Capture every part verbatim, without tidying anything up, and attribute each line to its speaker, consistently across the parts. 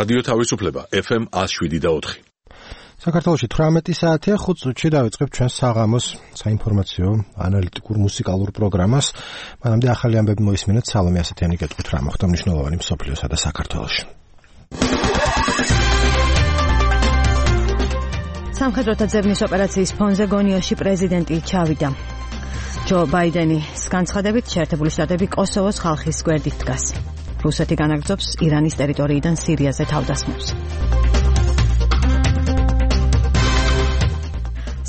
Speaker 1: რადიო თავისუფლება ეფ ემ ათს შვიდი და ოთხი.
Speaker 2: საქართველოში თვრამეტი საათია, ხუთ წუთში დავიწყებ ჩვენს საღამოს საინფორმაციო ანალიტიკურ მუსიკალურ პროგრამას. მანამდე ახალი ამბები მოისმინეთ. სალომე ასეთიანი გეტყვით რა მოხდა მნიშვნელოვანი მსოფლიოსა და საქართველოში.
Speaker 3: სამხედროთა ძებნის ოპერაციის ფონზე გონიოში პრეზიდენტი ჩავიდა. ჯო ბაიდენის განცხადებით შეერთებული შტატები კოსოვოს ხალხის გვერდით დგას. რუსეთი განაგრძობს ირანის ტერიტორიიდან სირიაზე თავდასხმებს.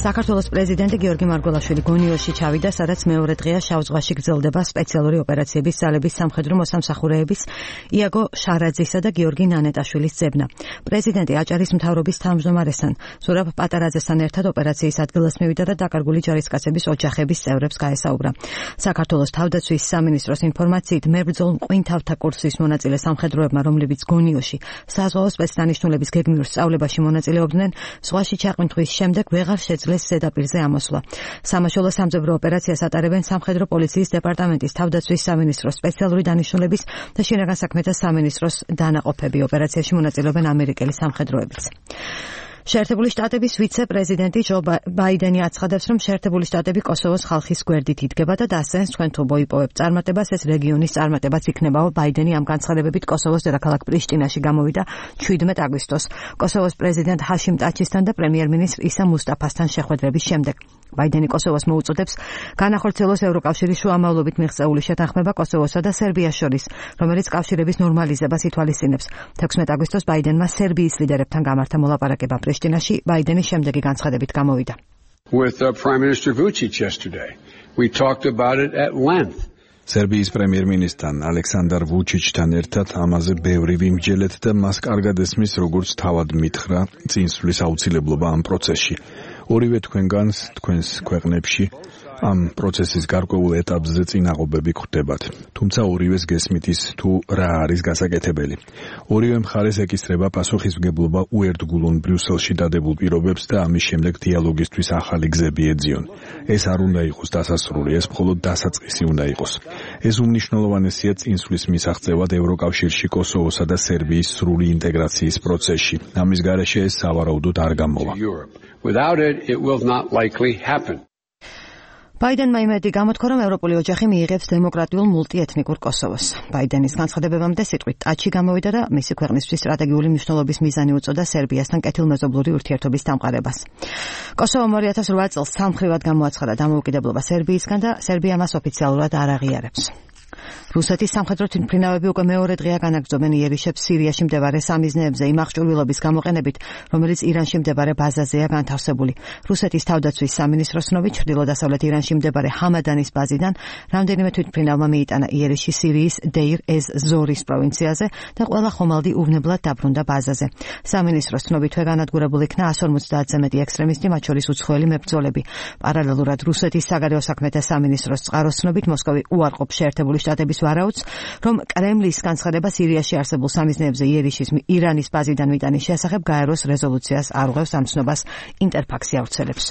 Speaker 3: საქართველოს პრეზიდენტი გიორგი მარგველაშვილი გონიოში ჩავიდა, სადაც მეორე დღეა შავ ზღვაში გრძელდება სპეციალური ოპერაციების ძალების სამხედრო მოსამსახურეების იაგო შარაძისა და გიორგი ნანეტაშვილის ძებნა. პრეზიდენტი აჭარის მთავრობის თავმჯდომარესთან ზურაბ პატარაძესთან ერთად ოპერაციის ადგილას მივიდა და დაკარგული ჯარისკაცების ოჯახების წევრებს გაესაუბრა. საქართველოს თავდაცვის სამინისტროს ინფორმაციით მებრძოლ მყინთავთა კურსის მონაწილე სამხედროებმა, რომლებიც გონიოში საზღვაო სპეცდანიშნულების გეგმიურ სწავლებაში მონაწილეობდნენ, ზღვაში ჩაყვინთვის შემდეგ ვეღარ შეძლეს ზედაპირზე ამოსვლა. სამაშველო სამძებრო ოპერაციას ატარებენ სამხედრო პოლიციის დეპარტამენტის, თავდაცვის სამინისტროს, სპეციალური დანიშნულების და შინაგან საქმეთა სამინისტროს დანაყოფები. ოპერაციაში მონაწილეობენ ამერიკელი სამხედროებიც. შეერთებული შტატების ვიცე-პრეზიდენტი ჯო ბაიდენი აცხადებს, რომ შეერთებული შტატები კოსოვოს ხალხის გვერდით იდგება და დასცენს, თქვენ თუ მოიპოვებთ წარმატებას, ეს რეგიონის წარმატებაც იქნებაო. ბაიდენი ამ განცხადებებით კოსოვოს დედაქალაქ პრიშტინაში გამოვიდა ჩვიდმეტ აგვისტოს კოსოვოს პრეზიდენტ ჰაშიმ ტაჩისთან და პრემიერ-მინისტრ ისა მუსტაფასთან შეხვედრების შემდეგ. ბაიდენი კოსოვოს მოუწოდებს განახორციელოს ევროკავშირის შუამავლობით მიღწეული შეთანხმება კოსოვოსა და სერბიას შორის, რომელიც კავშირების ნორმალიზებას ითვალისწინებს. თექვსმეტ აგვისტოს ბაიდენმა სერბიის ლიდერებთან გამართა მოლაპარაკება პრიშტინაში. ბაიდენის შემდეგი განცხადებით გამოვიდა.
Speaker 4: With uh, Prime Minister Vučić yesterday, we talked about it at length.
Speaker 5: სერბიის პრემიერ-მინისტრთან ალექსანდარ ვუჩიჩთან ერთად ამაზე ბევრი ვიმსჯელეთ და მას კარგად ესმის, როგორც თავად მითხრა წინსვლის აუცილებლობა ამ პროცესში. ორივე თქვენგანს თქვენს ქვეყნებში ამ პროცესის გარკვეულ ეტაპზე წინაღობები გვხვდებათ. თუმცა ორივეს გესმით ის თუ რა არის გასაკეთებელი. ორივე მხარეს ეკისრება პასუხისმგებლობა უერთგულონ ბრიუსელში დადებულ პირობებს და ამის შემდეგ დიალოგისთვის ახალი გზები ეძიონ. ეს არ უნდა იყოს დასასრული, ეს მხოლოდ დასაწყისი უნდა იყოს. ეს უმნიშვნელოვანესია წინსვლის მისაღწევად ევროკავშირში კოსოვოსა და სერბიის სრული ინტეგრაციის პროცესში. ამის გარეშე ეს სავარაუდოდ არ გამოვა.
Speaker 4: Without it, it will not likely happen.
Speaker 3: ბაიდენმა იმედი გამოთქვა, რომ ევროპული ოჯახი მიიღებს დემოკრატიულ მულტიეთნიკურ კოსოვოს. ბაიდენის განცხადებებამდე სიტყვით ტაჩი გამოვიდა და მისი ქვეყნისთვის სტრატეგიული მნიშვნელობის მიზანი უწოდა სერბიასთან კეთილმეზობლური ურთიერთობის დამყარებას. კოსოვომ ორი ათას ოთხ წელს სამხრივად გამოაცხადა დამოუკიდებლობა სერბიისგან და სერბია მას ოფიციალურად არ აღიარებს. რუსეთის სამხედრო თვითმფრინავები უკვე მეორე დღეა განაგრძობენ იერიშებს სირიაში მდებარე სამიზნეებზე იმ აღჭურვილობის გამოყენებით, რომელიც ირანში მდებარე ბაზაზეა განთავსებული. რუსეთის თავდაცვის სამინისტროს ცნობით, ჩრდილო-დასავლეთ ირანში მდებარე ჰამადანის ბაზიდან რამდენიმე თვითმფრინავმა მიიტანა იერიში სირიის დეირ-ეს-ზორის პროვინციაზე და ყველა ხომალდი უვნებლად დაბრუნდა ბაზაზე. სამინისტროს ცნობით, თვე განადგურებულ იქნა ასი ორმოცდაათზე მეტი ექსტრემისტი, მათ შორის უცხოელი მებრძოლები. პარალელურად რუსეთის საგარეო საქმეთა სამინისტროს წყაროს ცნობით, მოსკოვი უარყოფს შეერთებული შტატების ვარაუდს, რომ კრემლის განცხადება სირიაში არსებულ სამიზნეებზე იერიშის ირანის ბაზიდან მიტანის შესახებ გაეროს რეზოლუციას არ უღევს, ამ ცნობას ინტერფაქსი ავრცელებს.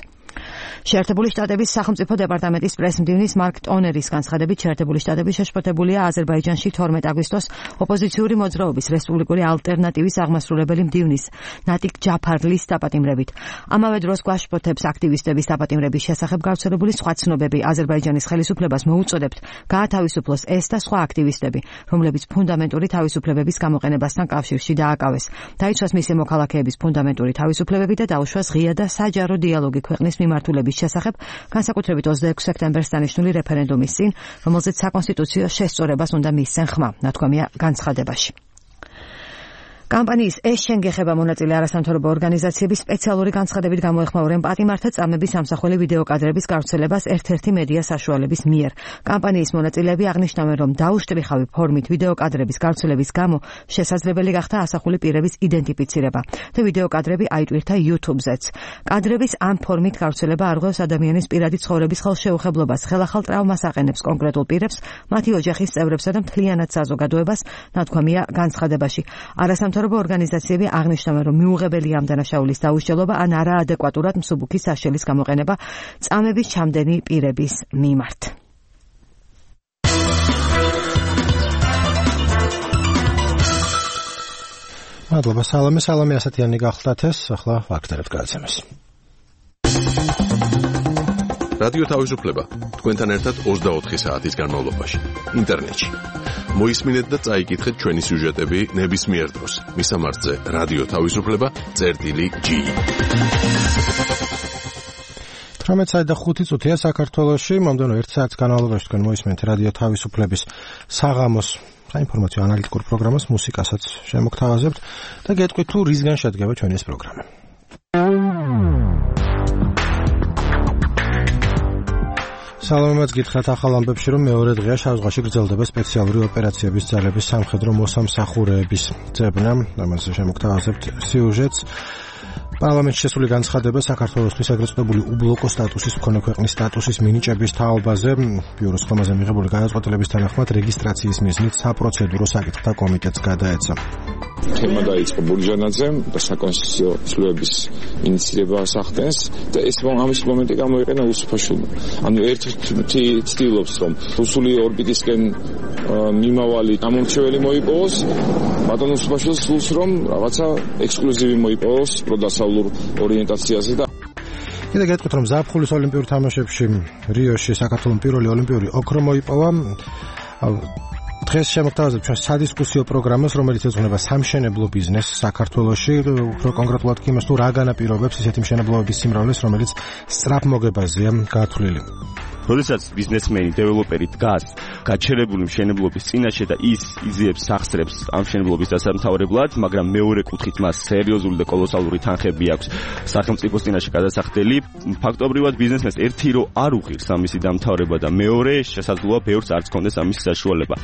Speaker 3: შეერთებული შტატების სახელმწიფო დეპარტამენტის პრესმდივნის მარკ ტონერის განცხადებით, შეერთებული შტატები შეშფოთებულია აზერბაიჯანში თორმეტ აგვისტოს ოპოზიციური მოძრაობის რესპუბლიკური ალტერნატივის აღმასრულებელი მდივნის ნატიკ ჯაფარლის დაპატიმრებით. ამავე დროს გვაშფოთებს აქტივისტების დაპატიმრების შესახებ გავრცელებული სხვა ცნობები. აზერბაიჯანის ხელისუფლებას მოუწოდებთ გაათავისუფლოს ეს და სხვა აქტივისტები, რომლებიც ფუნდამენტური თავისუფლებების გამოყენებასთან კავშირში დააკავეს. დაიცვას მისი მოქალაქეების ფუნდამენტური თავისუფლებები და დაუშვას ღია და საჯარო დიალოგი ქვეყნის მიმართულების შესახებ, განსაკუთრებით ოცდაექვსი სექტემბერს დანიშნული რეფერენდუმის წინ, რომელზეც საკონსტიტუციო შესწორებას უნდა მისცენ ხმა, ნათქვამია განცხადებაში. კამპანიის ეს შენ გეხება მონაწილე არასამთავრობო ორგანიზაციების სპეციალური განცხადებით გამოეხმაურნენ პატიმართა წამების სამსახველი ვიდეო კადრების გავრცელებას ერთ-ერთი მედია საშუალების მიერ. კამპანიის მონაწილეები აღნიშნავენ, რომ დაუშტრიხავი ფორმით ვიდეო კადრების გავრცელების გამო შესაძლებელი გახდა ასახული პირების იდენტიფიცირება და ვიდეო კადრები აიტვირთა YouTube-ზეც. კადრების ამ ფორმით გავრცელება არ ღვევს ადამიანის პირადი ცხოვრების ხელშეუხებლობას, ხელახალ ტრავმას აყენებს კონკრეტულ პირებს, მათი ოჯახის წევრებსა და მთლიანად საზოგადოებას, ნათქვამია განცხადებაში. არასამთავრობო ორგანიზაციები აღნიშნავენ, რომ მიუღებელია ამ დანაშაულის დაუშლება ან არაადეკვატურად მსუბუქი საშელის გამოყენება წამების ჩამდენი პირების მიმართ.
Speaker 2: მადლობა სალამე, სალამე ასათიანი გახლდათ ეს, ახლა ვაგრძელებთ გადაცემას.
Speaker 1: რადიო თავისუფლება თქვენთან ერთად ოცდაოთხი საათის განმავლობაში ინტერნეტში. მოისმინეთ და წაიკითხეთ ჩვენი სიუჟეტები ნებისმიერ დროს. მისამართზე რადიო თავისუფლება წერტილი ჯი. თერთმეტ საათი და ხუთი წუთია საქართველოში, მომდევნო ერთ საათის განმავლობაში თქვენ მოისმენთ რადიო თავისუფლების საღამოს საინფორმაციო ანალიტიკურ პროგრამას, მუსიკასაც შემოგთავაზებთ და გეტყვით თუ რისგან შედგება ჩვენი ეს პროგრამა. სალამაც გითხრათ ახალ ამბებში, რომ მეორე დღეა შავ-ზღვაში გრძელდება სპეციალური ოპერაციების ძალების სამხედრო მოსამსახურეების ძებნა, ამაზე შემოგთავაზებთ სიუჟეტს. პარლამენტში შესული განცხადება საქართველოსთვის ეგრეთ წოდებული უბლოკო სტატუსის მქონე ქვეყნის სტატუსის მინიჭების თაობაზე, ბიუროს ხომაზე მიღებული გადაწყვეტილების თანახმად რეგისტრაციის მიზნით საპროცედურო საკითხთა კომიტეტს გადაეცა.
Speaker 6: თემა დაიწყო ბურჯანაძემ და საკონსტიტუციო ცვლილების ინიციირება სახდენს და ეს ამის მომენტი გამოიყენა უსუფაშულმა. ანუ ერთი ცდილობს, რომ რუსული ორბიტისკენ მიმავალი გამომრჩეველი მოიპოვოს, ბატონ უსუფაშულს სულს რომ რაღაცა ექსკლუზივი მოიპოვოს პროდასავლურ ორიენტაციაზე და
Speaker 2: კიდე გეტყვით, რომ ზაფხულის ოლიმპიურ თამაშებში რიოში საქართველოს პირველი ოლიმპიური ოქრო მოიპოვა. დღეს შემოგთავაზებთ ჩვენ სადისკუსიო პროგრამას, რომელიც ეძღვნება სამშენებლო ბიზნესს საქართველოში, უფრო კონკრეტულად კი იმას, თუ რა განაპირობებს ისეთი მშენებლობების სიმრავლეს, რომელიც სწრაფმოგებაზეა გათვლილი.
Speaker 7: როდესაც ბიზნესმენი, დეველოპერი დგას გაჩერებული მშენებლობის წინაშე და ის იზიებს სახსრებს ამ მშენებლობის დასამთავრებლად, მაგრამ მეორე კუთხით მას სერიოზული და კოლოსალური თანხები აქვს სახელმწიფოს წინაშე გადასახდელი, ფაქტობრივად ბიზნესმენს ერთი რო არ უღირს ამისი დამთავრება და მეორე შესაძლოა ბევრს არც კონდეს ამის საშუალება.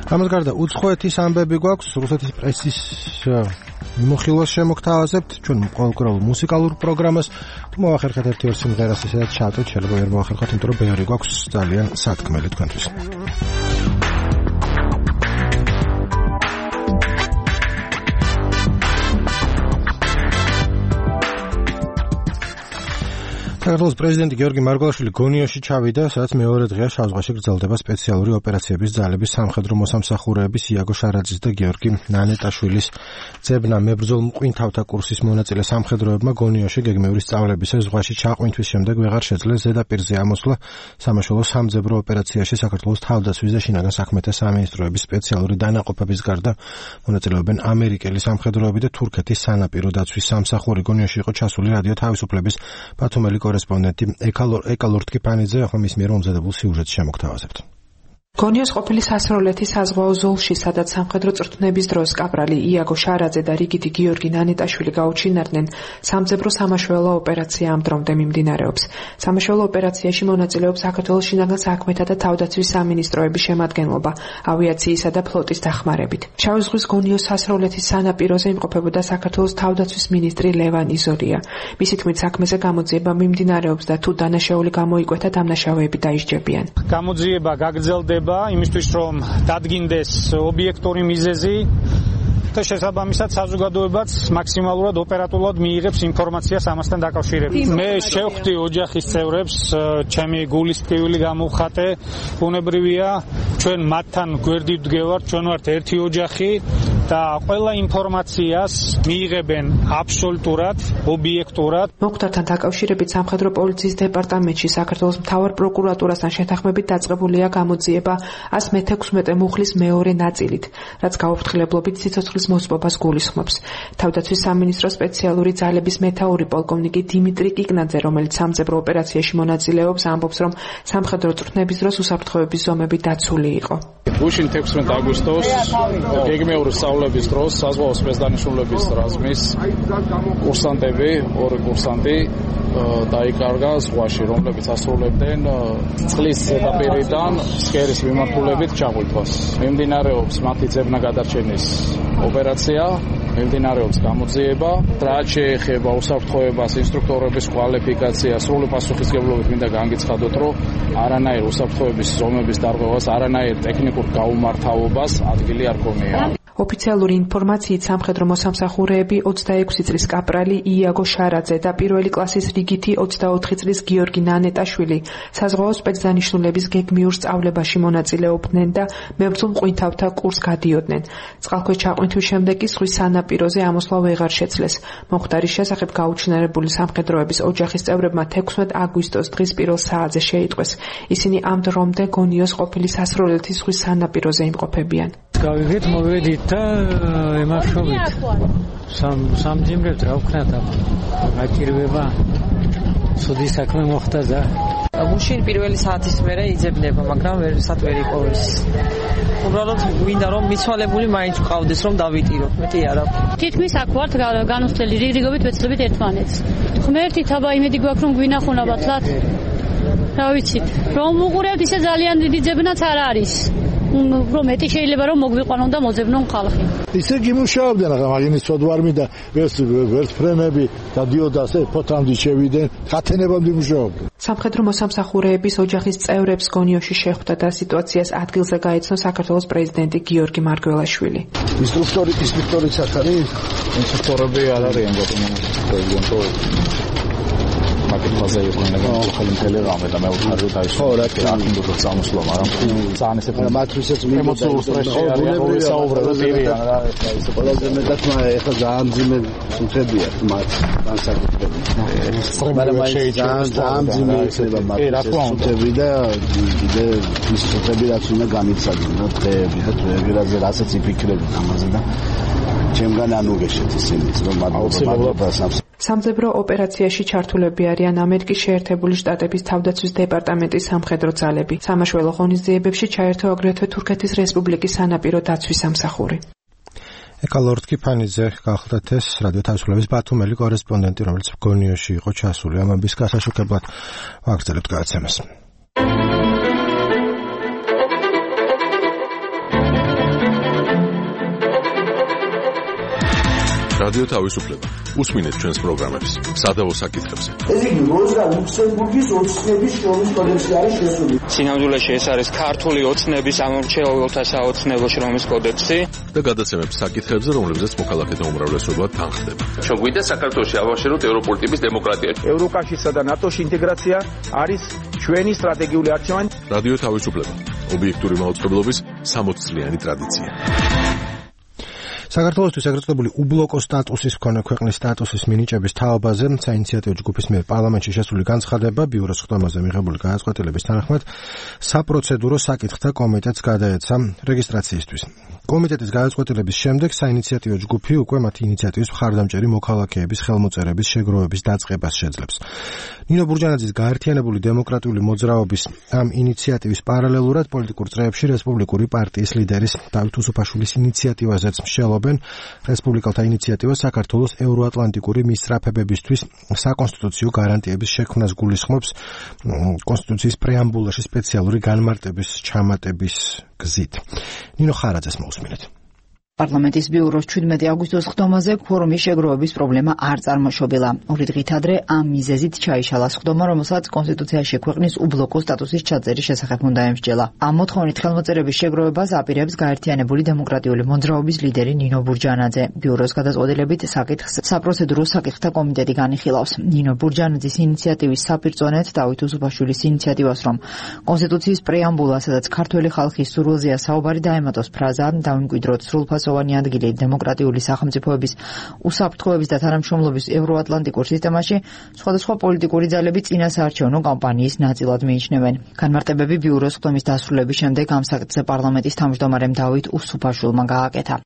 Speaker 2: ამას გარდა უცხოეთის ამბები გვაქვს, რუსეთის პრესის მიმოხილვას შემოგთავაზებთ, ჩვენ ყოველკვირეულ მუსიკალურ პროგრამას, თუ მოვახერხეთ ერთი ორ სიმღერას ისედაც ჩავტეთ, შეიძლება ვერ მოვახერხოთ, იმიტომ რომ ბევრი გვაქვს ძალიან სათქმელი თქვენთვის. საქართველოს პრეზიდენტი გიორგი მარგველაშვილი გონიოში ჩავიდა, სადაც მეორე დღეა შავ-ზღვაში გრძელდება სპეციალური ოპერაციების ძალების სამხედრო მოსამსახურეების იაგო შარაძის და გიორგი ნანეტაშვილის ძებნა. მებრძოლ მყვინთავთა კურსის მონაწილე სამხედროებმა გონიოში გეგმიური სწავლებისა ზღვაში ჩაყვინთვის შემდეგ ვეღარ შეძლეს ზედაპირზე ამოსვლა. სამაშველო სამძებრო ოპერაციაში საქართველოს თავდაცვის და შინაგან საქმეთა სამინისტროების სპეციალური დანაყოფების გარდა მონაწილეობენ ამერიკელი სამხედროები და თურქეთის სანაპირო დაცვის სამსახური. გონიოში იყო ჩასული რადიო თავისუფლების ბათუმელი კორესპონდენტი ეკალორ ტკიფანიძე, ახლა მის მიერ მომზადებულ სიუჟეტს შემოგთავაზებთ.
Speaker 8: გონიოს ყოფილი სასროლეთის საზღვაო ზოლში, სადაც სამხედრო წვრთნების დროს კაპრალი იაგო შარაძე და რიგითი გიორგი ნანეტაშვილი გაუჩინარდნენ, სამძებრო სამაშველო ოპერაცია ამ დრომდე მიმდინარეობს. სამაშველო ოპერაციაში მონაწილეობს საქართველოს შინაგან საქმეთა და თავდაცვის სამინისტროების შემადგენლობა, ავიაციისა და ფლოტის დახმარებით. შავი ზღვის გონიოს სასროლეთის სანაპიროზე იმყოფებოდა საქართველოს თავდაცვის მინისტრი ლევან იზორია. მისი თქმით, საქმეზე გამოძიება მიმდინარეობს და თუ დანაშაული გამოიკვეთა, დამნაშავეები დაისჯებიან.
Speaker 9: გამოძიება გაგრძელდება იმისთვის, რომ დადგინდეს ობიექტური მიზეზი და შესაბამისად საზოგადოებაც მაქსიმალურად ოპერატულად მიიღებს ინფორმაციას ამასთან დაკავშირებით. მე შევხვდი ოჯახის წევრებს, ჩემი გულის ტკივილი გამოვხატე, ბუნებრივია, ჩვენ მათთან გვერდით ვდგევართ, ჩვენ ვართ ერთი ოჯახი და ყველა ინფორმაციას მიიღებენ აბსოლუტურად, ობიექტურად.
Speaker 8: მოხდართან დაკავშირებით სამხედრო პოლიციის დეპარტამენტში საქართველოს მთავარ პროკურატურასთან შეთანხმებით დაწყებულია გამოძიება ას მეთექვსმეტე მუხლის მეორე ნაწილით, რაც გაუფრთხილებლობით სიცოცხლის მოსპობას გულისხმობს. თავდაცვის სამინისტროს სპეციალური ძალების მეთაური პოლკოვნიკი დიმიტრი კიკნაძე, რომელიც სამძებრო ოპერაციაში მონაწილეობს, ამბობს, რომ სამხედრო წვრთნების დროს უსაფრთხოების ზომები დაცული იყო.
Speaker 10: გუშინ თექვსმეტ აგვისტოს გეგმიური სწავლების დროს საზღვაო სპეცდანიშნულების რაზმის კურსანტები, ორი კურსანტი დაიკარგა ზღვაში, რომლებიც ასრულებდნენ წყლის ზედაპირიდან სქერის მიმართულებით ჩაღვიtvas. მიმდინარეობს მათი ძებნა გადარჩენის ოპერაცია, მიმდინარეობს გამოძიება, რაც შეეხება უსაფრთხოებას, ინსტრუქტორების კვალიფიკაციას, სრული პასუხისმგებლობით მინდა განგიცხადოთ, რომ არანაირ უსაფრთხოების ზომების დარღვევას, არანაირ ტექნიკურ გაუმართავობას ადგილი არ ქონია.
Speaker 8: ოფიციალური ინფორმაციით სამხედრო მოსამსახურეები ოცდაექვსი წლის კაპრალი იაგო შარაძე და პირველი კლასის რიგითი ოცდაოთხი წლის გიორგი ნანეტაშვილი საზღვაო სპეცდანიშნულების გეგმიურ სწავლებაში მონაწილეობდნენ და მებრძოლ მყვინთავთა კურსს გადიოდნენ. წყალქვეშ ჩაყვინთვის შემდეგ კი ზღვის სანაპირო სანაპიროზე ამოსვლა ვეღარ შეძლეს. მომხდარის შესახებ გაუჩინარებული სამხედროების ოჯახის წევრებმა თექვსმეტ აგვისტოს დღის პირველ საათზე შეიტყვეს. ისინი ამ დრომდე გონიოს ყოფილი სასროლეთის ზღვის სანაპიროზე იმყოფებიან.
Speaker 9: გავიგეთ, მოვედით და ემახშობით. სამ სამძიმრებთ რა ვქნათ ამ. გაჭირვება. სუდი საქმე მოხდა და
Speaker 11: გუშინ პირველი საათის მერე იძებნება, მაგრამ ვერასად ვერ იპოვეს. უბრალოდ გვინდა რომ მიცვალებული მაინც ვყავდეს რომ დავიტირო. მეტი არა.
Speaker 12: თითქმის აქ ვართ განუცდელი რიგრიგობით ვეცდებით ერთმანეთს. ღმერთით აბა იმედი გვაქვს რომ გვინახუნა ბათლად. რა ვიცით, რომ უყურებთ ისე ძალიან დიდი ძებნაც არ არის. რომ მეტი შეიძლება რომ მოგვიყვანონ და მოძებნონ ხალხი.
Speaker 13: ისე გიმუშავდნენ, მაგრამ მაგინი სოდვარმი და ვერტფრენები და დიოდასე ფოთანდი შევიდნენ, ხათენებამდე მუშაობდნენ.
Speaker 8: სამხედრო მოსამსახურეების ოჯახის წევრებს გონიოში შეხვდა და სიტუაციას ადგილზე გაეცნო საქართველოს პრეზიდენტი გიორგი მარგველაშვილი.
Speaker 13: ინსტრუქტორი, ინსტრუქტორი საქმე,
Speaker 10: ინსტრუქტორები არ არიან ბატონო პრეზიდენტო. მაგალითად ზეირონება ხელი მთელი რამე და მე ვთქვი და ის ხო რა კი აქ უნდა წამოსვლა, მაგრამ ძალიან ესეთ
Speaker 13: მათვისაც
Speaker 10: ემოციურ სტრესში არიან, როგორ საუბრობენ პირიან რა ეს
Speaker 13: ყველაზე მეტად მაგრამ ეხლა ძალიან ძიმე სუნთებია მათ განსაკუთრებით.
Speaker 10: მაგრამ შეიძლება
Speaker 13: ძალიან ძიმე იქნება მათ სუნთები და კიდე ის სუნთები რაც უნდა გამიცადონ დღეები და დღეები რაზე რასაც იფიქრებთ ამაზე და ჩემგან არ უგეშეთ ისინი რომ მათ
Speaker 8: სამძებრო ოპერაციაში ჩართულები არიან ამერიკის შეერთებული შტატების თავდაცვის დეპარტამენტის სამხედრო ძალები. სამაშველო ღონისძიებებში ჩაერთო აგრეთვე თურქეთის რესპუბლიკის სანაპირო დაცვის სამსახური.
Speaker 1: ეკალორდ კიფანიძე გახლდათ ეს რადიო თავისუფლების ბათუმელი კორესპონდენტი, რომელიც გონიოში იყო ჩასული ამების გასაშუქებლად ვაგრძელებთ გადაცემას.
Speaker 14: რადიო თავისუფლება. უსმინეთ ჩვენს პროგრამებს სადავო საკითხებზე.
Speaker 15: ეს იგი როზა ლუქსემბურგის ოცნების შრომის კოდექსში არის შესული.
Speaker 16: სინამდვილეში ეს არის ქართული ოცნების ამორჩეულთა საოცნებო შრომის კოდექსი
Speaker 14: და გადაცემებს საკითხებზე, რომლებზეც მოქალაქეთა უმრავლესობა თანხდება.
Speaker 17: ჩვენ გვინდა საქართველოში ავაშეროთ ევროპული ტიპის დემოკრატია.
Speaker 18: ევროკავშირსა და ნატოში ინტეგრაცია არის ჩვენი სტრატეგიული არჩევანი.
Speaker 14: რადიო თავისუფლება. ობიექტური მაუწყებლობის სამოც წლიანი ტრადიცია.
Speaker 1: საქართველოსთვის ეგრეთებული უბლოკო სტატუსის მქონე ქვეყნის სტატუსის მინიჭების თაობაზე საინიციატივო ჯგუფის მიერ პარლამენტში შესული განცხადება ბიუროს ხდომაზე მიღებული გადაწყვეტილების თანახმად საპროცედურო საკითხთა კომიტეტს გადაეცა რეგისტრაციისთვის. კომიტეტის გადაწყვეტილების შემდეგ საინიციატივო ჯგუფი უკვე მათი ინიციატივის მხარდამჭერი მოქალაქეების ხელმოწერების შეგროვების დაწყებას შეძლებს. ნინო ბურჯანაძის გაერთიანებული დემოკრატიული მოძრაობის ამ ინიციატივის პარალელურად პოლიტიკურ წრეებში რესპუბლიკური პარტიის ლიდერის დავით უსუფაშვილის ინიციატივაზეც მსჯელობენ რესპუბლიკელთა ინიციატივა საქართველოს ევროატლანტიკური მისწრაფებებისთვის საკონსტიტუციო გარანტიების შექმნას გულისხმობს კონსტიტუციის პრეამბულაში სპეციალური განმარტების ჩამატების გზით. ნინო ხარაძეს მოусმინეთ.
Speaker 3: პარლამენტის ბიუროს შვიდმეტი აგვისტოს ხდომაზე ფორუმის შეგროვების პრობლემა არ წარმოშობილა. ორი დღით ადრე ამ მიზეზით ჩაიშალა ხდომა, რომელსაც კონსტიტუციაში ქვეყნის უბლოკო სტატუსის ჩაწერის შესახებ უნდა ემსჯელა. ამ მოთხოვნით ხელმოწერების შეგროვებას აპირებს გაერთიანებული დემოკრატიული მოძრაობის ლიდერი ნინო ბურჯანაძე. ბიუროს გადაწყვეტილებით საკითხს საპროცედურო საკითხთა კომიტეტი განიხილავს. ნინო ბურჯანაძის ინიციატივის საპირწონედ დავით უსუფაშვილის ინიციატივას, რომ კონსტიტუციის პრეამბულა, სადაც ქართველი ხალხის სურვილზეა საუბარი, დაემატოს ფრაზა „დავიმკვიდროთ სრულფასოვანი ადგილი დემოკრატიული სახელმწიფოების უსაფრთხოების და თანამშრომლობის ევროატლანტიკურ სისტემაში, სხვადასხვა პოლიტიკური ძალები წინასაარჩევნო კამპანიის ნაწილად მიიჩნევენ. განმარტებები ბიუროს ხდომის დასრულების შემდეგ ამ საკითხზე პარლამენტის თავმჯდომარემ დავით უსუფაშვილმა გააკეთა.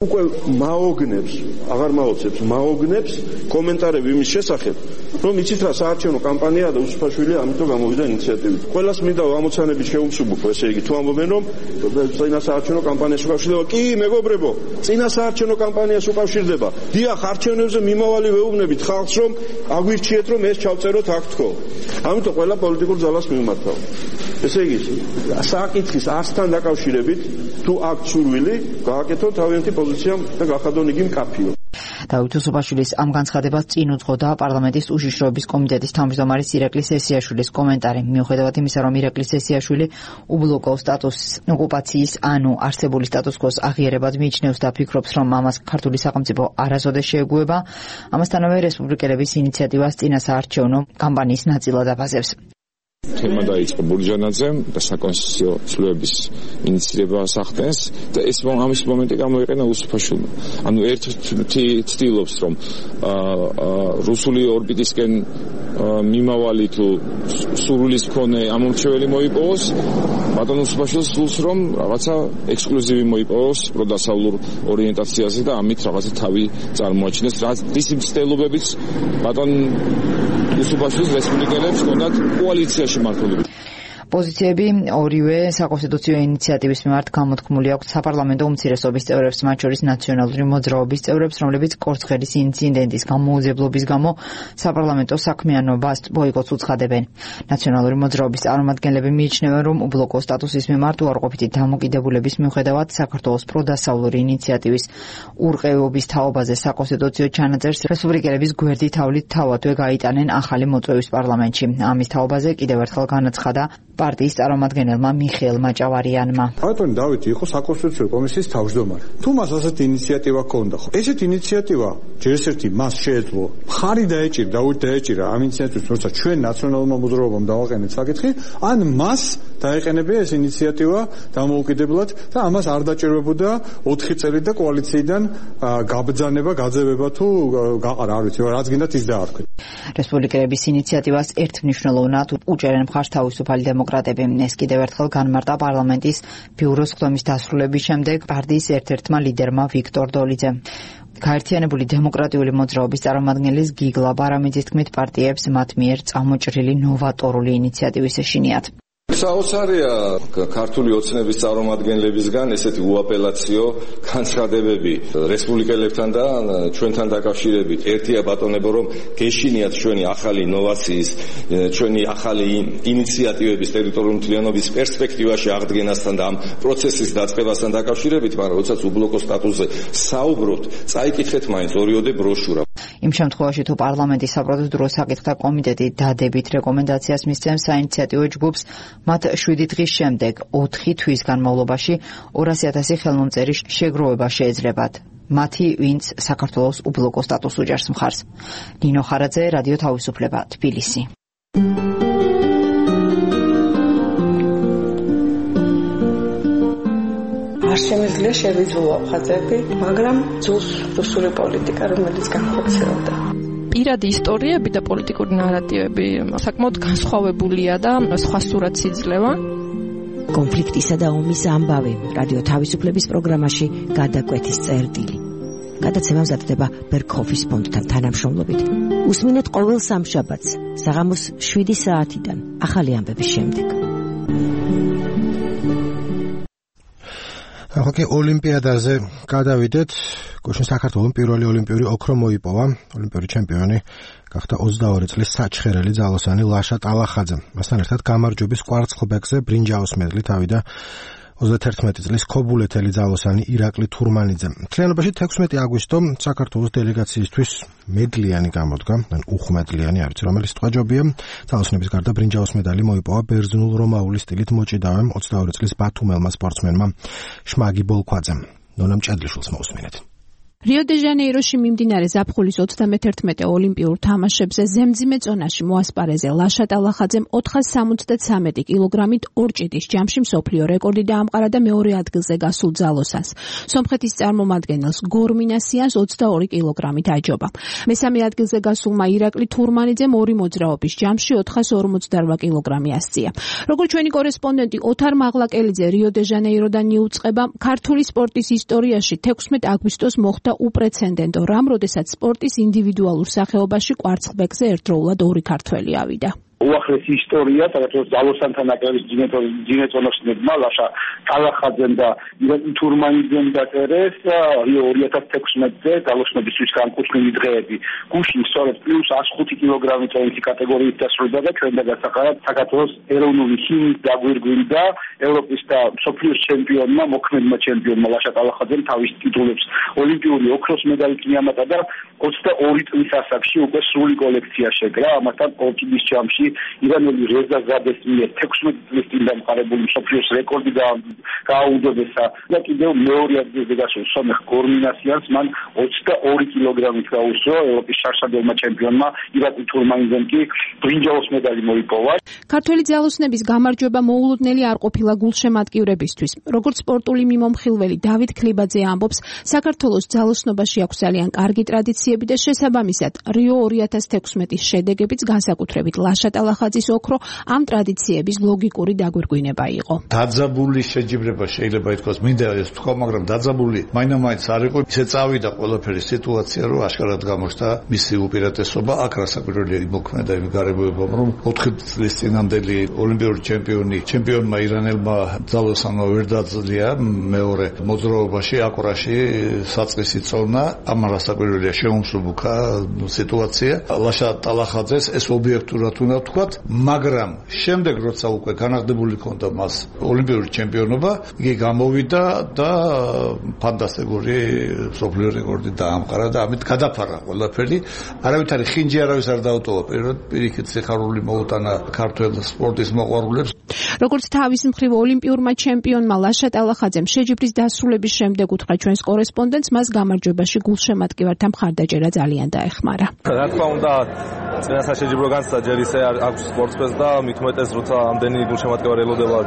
Speaker 19: უკვე მაოგნებს, აღარ მაოცებს, მაოგნებს კომენტარები იმის შესახებ, რომ იცით რა საარჩევნო კამპანიაა და უსუფაშვილი ამიტომ გამოვიდა ინიციატივით. ყველას მინდა ამოცანები შეუმსუბუქო, ესე იგი, თუ ამბობენ რომ წინა საარჩევნო კამპანიას უკავშირდება, კი, მეგობრებო, წინა საარჩევნო კამპანიას უკავშირდება. დიახ, არჩევნებზე მიმავალი ვეუბნებით ხალხს, რომ აგვირჩიეთ, რომ ეს ჩავწეროთ აქ თქო. ამიტომ ყველა პოლიტიკურ ძალას მივმართავ. ესე იგი, საკითხის არსთან დაკავშირებით, თუ აქვს სურვილი, გააკეთოთ თავიანთი პოზიცია და გახადონ იგი მკაფიო.
Speaker 3: დავით უსუფაშვილის ამ განცხადებას წინ უძღოდა პარლამენტის უშიშროების კომიტეტის თავმჯდომარის ირაკლი სესიაშვილის კომენტარი. მიუხედავად იმისა, რომ ირაკლი სესიაშვილი უბლოკო სტატუსის ოკუპაციის ანუ არსებული სტატუს-კვოს აღიარებად მიიჩნევს და ფიქრობს, რომ ამას ქართული სახელმწიფო არასოდეს შეეგუება, ამასთანავე რესპუბლიკელების ინიციატივას წინასაარჩევნო კამპანიის ნაწილად აფასებს.
Speaker 6: თემა დაიწყო ბურჯანაძემ და საკონსტიტუციო ცვლილების ინიციირება სახდენს და ეს ამის მომენტი გამოიყენა უსუფაშვილმა. ანუ ერთი ცდილობს რომ რუსული ორბიტისკენ მიმავალი თუ სურვილის მქონე ამომრჩეველი მოიპოვოს, ბატონ უსუფაშვილს სულს რომ რაღაცა ექსკლუზივი მოიპოვოს პროდასავლურ ორიენტაციაზე და ამით რაღაცა თავი წარმოაჩინოს, რის მცდელობებიც ბატონ უსუფაშვილის რესპუბლიკელებს ჰქონდათ კოალიციაში მართლობები.
Speaker 20: პოზიციები ორივე საკონსტიტუციო ინიციატივის მიმართ გამოთქმული აქვს საპარლამენტო უმცირესობის წევრებს, მათ შორის ნაციონალური მოძრაობის წევრებს, რომლებიც კორცხელის ინციდენტის გამოუძიებლობის გამო საპარლამენტო საქმიანობას ბოიკოტს უცხადებენ. ნაციონალური მოძრაობის წარმომადგენლები მიიჩნევენ, რომ უბლოკო სტატუსის მიმართ უარყოფითი დამოკიდებულების მიუხედავად საქართველოს პროდასავლური ინიციატივის ურყევობის თაობაზე საკონსტიტუციო ჩანაწერს რესპუბლიკელების გვერდი თავლით თავადვე გაიტანენ ახალი მოწვევის პარლამენტში. ამის თაობაზე კიდევ ერთხელ განაცხადა პარტიის წარმომადგენელმა მიხეილ მაჭავარიანმა.
Speaker 21: ბატონი დავითი იყო საკონსტიტუციო კომისიის თავმჯდომარე. თუ მას ასეთი ინიციატივა ჰქონდა, ხო? ესეთი ინიციატივა ჯერ ერთი მას შეეძლო მხარი დაეჭირა, დაუჭირა დაეჭირა ამ ინიციატივის, როცა ჩვენ ნაციონალურმა მოძრაობამ დავაყენეთ საკითხი, ან მას დაეყენებია ეს ინიციატივა დამოუკიდებლად და ამას არ დაჭირებოდა ოთხი წელი და კოალიციიდან გაბრძანება, გაძევება თუ გაყარა, არ ვიცი, რაც გინდათ ის დაარქვით.
Speaker 20: რესპუბლიკელების ინიციატივას ერთმნიშვნელოვნად უჭერენ მხარს თავისუფალი დემოკრატები. ეს კიდევ ერთხელ განმარტა პარლამენტის ბიუროს ხდომის დასრულების შემდეგ პარტიის ერთ-ერთმა ლიდერმა ვიქტორ დოლიძემ. გაერთიანებული დემოკრატიული მოძრაობის წარმომადგენლის გიგლა ბარამიძის თქმით, პარტიებს მათ მიერ წამოჭრილი ნოვატორული ინიციატივის ეშინიათ.
Speaker 22: საოცარია ქართული ოცნების წარმომადგენლებისგან ესეთი უაპელაციო განცხადებები რესპუბლიკელებთან და ჩვენთან დაკავშირებით. ერთია ბატონებო, რომ გეშინიათ ჩვენი ახალი ინოვაციის, ჩვენი ახალი ინიციატივების ტერიტორიული მთლიანობის პერსპექტივაში აღდგენასთან და ამ პროცესის დაწყებასთან დაკავშირებით, მაგრამ როდესაც უბლოკო სტატუსზე საუბრობთ, წაიკითხეთ მაინც ორიოდე ბროშურა.
Speaker 20: იმ შემთხვევაში თუ პარლამენტის საპროცედურო საკითხთა კომიტეტი დადებით რეკომენდაციას მისცემს საინიციატივო ჯგუფს, მათ შვიდი დღის შემდეგ ოთხი თვის განმავლობაში ორასი ათასი ხელმომწერი შეგროვება შეეძლებათ. მათი, ვინც საქართველოს უბლოკო სტატუსს უჭერს მხარს. ნინო ხარაძე, რადიო თავისუფლება, თბილისი.
Speaker 23: არ შემიძლია შევიძულო აფხაზები, მაგრამ ძულს რუსული პოლიტიკა, რომელიც განხორციელდა.
Speaker 24: პირადი ისტორიები და პოლიტიკური ნარატივები საკმაოდ განსხვავებულია და სხვა სურათს იძლევა.
Speaker 25: კონფლიქტისა და ომის ამბავი რადიო თავისუფლების პროგრამაში გადაკვეთის წერტილი. გადაცემა მზადდება ბერქოფის ფონდთან თანამშრომლობით. უსმინეთ ყოველ სამშაბათს საღამოს შვიდი საათიდან ახალი ამბების შემდეგ.
Speaker 1: ახლა ოლიმპიადაზე გადავიდეთ. გუშინ საქართველოს პირველი ოლიმპიური ოქრო მოიპოვა. ოლიმპიური ჩემპიონი გახდა ოცდაორი წლის საჩხერელი ძალოსანი ლაშა ტალახაძე. მასთან ერთად გამარჯვების კვარცხლბეკზე ბრინჯაოს მედლით ავიდა ოცდათერთმეტი წლის ქობულეთელი ძალოსანი ირაკლი თურმანიძე. მთლიანობაში თექვსმეტი აგვისტო საქართველოს დელეგაციისთვის მედლიანი გამოდგა, ან უხმედლიანი, არ ვიცი რომელი სიტყვა ჯობია. ძალოსნების გარდა ბრინჯაოს მედალი მოიპოვა ბერძნულ-რომაული სტილით მოჭიდავემ ოცდაორი წლის ბათუმელმა სპორტსმენმა შმაგი ბოლქვაძემ. ნონამ ჭედლიშვილს მოусმინეთ.
Speaker 26: რიო-დე-ჟანეიროში მიმდინარე ზაფხულის ოცდამეთერთმეტე ოლიმპიურ თამაშებზე ზემძიმე წონაში მოასპარეზე ლაშა ტალახაძემ ოთხას სამოცდათრამეტი კილოგრამით ორჭიდის ჯამში მსოფლიო რეკორდი დაამყარა და მეორე ადგილზე გასულ ძალოსანს. სომხეთის წარმომადგენელს გორმინასიანს ოცდაორი კილოგრამით აჯობა. მესამე ადგილზე გასულმა ირაკლი თურმანიძემ ორი მოძრაობის ჯამში ოთხას ორმოცდარვა კილოგრამი ასწია. როგორც ჩვენი კორესპონდენტი ოთარ მაღლაკელიძე რიო-დე-ჟანეიროდან იუწყება, ქართული სპორტის ისტორიაში თექვსმეტ აგვისტოს მოხდა უპრეცედენტო რამ, როდესაც სპორტის ინდივიდუალურ სახეობაში კვარცხლბეკზე ერთდროულად ორი ქართველი ავიდა.
Speaker 18: უახლესი ისტორია, საქართველოს ძალოსანთა ნაკრების ძინეწონოსნებმა ლაშა ტალახაძემ და ირაკლი თურმანიძემ დაწერეს რიო ორი ათას თექვსმეტზე ძალოსნობისთვის განკუთვნილი დღეები. გუშინ სწორედ პლუს εκατს ხუთი კილოგრამი წონითი კატეგორიით დასრულდა და ჩვენ დაგასახარად საქართველოს ეროვნული ჰიმნით დაგვირგვინდა ევროპის და მსოფლიოს ჩემპიონმა, მოქმედმა ჩემპიონმა ლაშა ტალახაძემ თავის ტიტულებს ოლიმპიური ოქროს მედალით მიამატა და ოცდაორი წლის ასაკში უკვე სრული კოლექცია შეკრა, ამასთან ორკიდის ჯამში ირანელი რეზა ზადეს მიერ თექვსმეტი წლის წინ დამყარებული მსოფლიოს რეკორდი გააუდობესა და კიდევ მეორე ადგილზე გასულ სომეხ გორმინასიანს მან ოცდაორი კილოგრამით გაუსწრო ევროპის შარშადელმა ჩემპიონმა ირაკლი თურმანიძემ კი ბრინჯაოს медали მოიპოვა.
Speaker 26: ქართველი ძალოსნების გამარჯვება მოულოდნელი არ ყოფილა გულშემატკივრებისთვის. როგორც სპორტული მიმომხილველი დავით ქლიბაძე ამბობს, საქართველოს ძალოსნობაში აქვს ძალიან კარგი ტრადიციები და შესაბამისად რიო ორი ათას თექვსმეტის შედეგებიც განსაკუთრებით ლაშა ტალახაძის ოქრო ამ ტრადიციების ლოგიკური დაგვირგვინება იყო.
Speaker 2: დაძაბული შეჯიბრება შეიძლება ითქვას, მინდა ეს თქვა, მაგრამ დაძაბული მაინამაინც არ იყო. ისე წავიდა ყველაფერი სიტუაცია, რომ აშკარად გამოჩნდა მისი უპირატესობა. აქ რასაკვირველია იმოქმედა იმ გარემოებამ, რომ ოთხი წლის წინამდელი ოლიმპიური ჩემპიონი ჩემპიონმა ირანელმა ძალოსანმა ვერ დაძლია მეორე მოძრაობაში აკვრაში საწყისი წონა. ამ რასაკვირველია შეუმსუბუქა სიტუაცია. ლაშა ტალახაძეს ეს ობიექტურად უნდა ვთქვათ, მაგრამ შემდეგ როცა უკვე განაღდებული ქონდა მას ოლიმპიური ჩემპიონობა, იგი გამოვიდა და ფანტასტიკური მსოფლიო რეკორდი დაამყარა და ამით გადაფარა ყველაფერი. არავითარი ხინჯი არავის არ დაუტოვა. პირველად პირიქით სიხარული მოუტანა ქართველ სპორტის მოყვარულებს.
Speaker 26: როგორც თავის მხრივ ოლიმპიურმა ჩემპიონმა ლაშა ტალახაძემ შეჯიბრის დასრულების შემდეგ უთხრა ჩვენს კორესპონდენტს, მას გამარჯვებაში გულშემატკივართა მხარდაჭერა ძალიან დაეხმარა.
Speaker 4: რა თქმა უნდა, წინასა შეჯიბრო განცდა ჯერ ისე აქვს სპორტსმენს და მით უმეტეს როცა ამდენი გულშემატკივარი ელოდება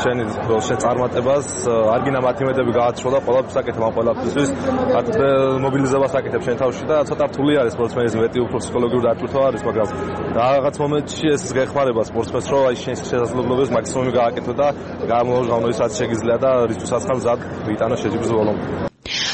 Speaker 4: შენი შენ წარმატებას, არ გინდა მათიმედები გააცრულა ყველაფერს აკეთებ ამ ყველაფერს. მობილიზებას აკეთებ შენ თავში და ცოტა რთული არის სპორტსმენის მეტი უფრო ფსიქოლოგიური დატვირთვა არის, მაგრამ რაღაც მომენტში ეს გეხმარება სპორტსმენს, რომ აი შენ შესაძლებლობებს მაქსიმუმი გააკეთო და გამოღავო ის რაც შეგიძლია და რისთვისაც ხარ მზად ვიტანო შეჯიბრის ბოლომდე.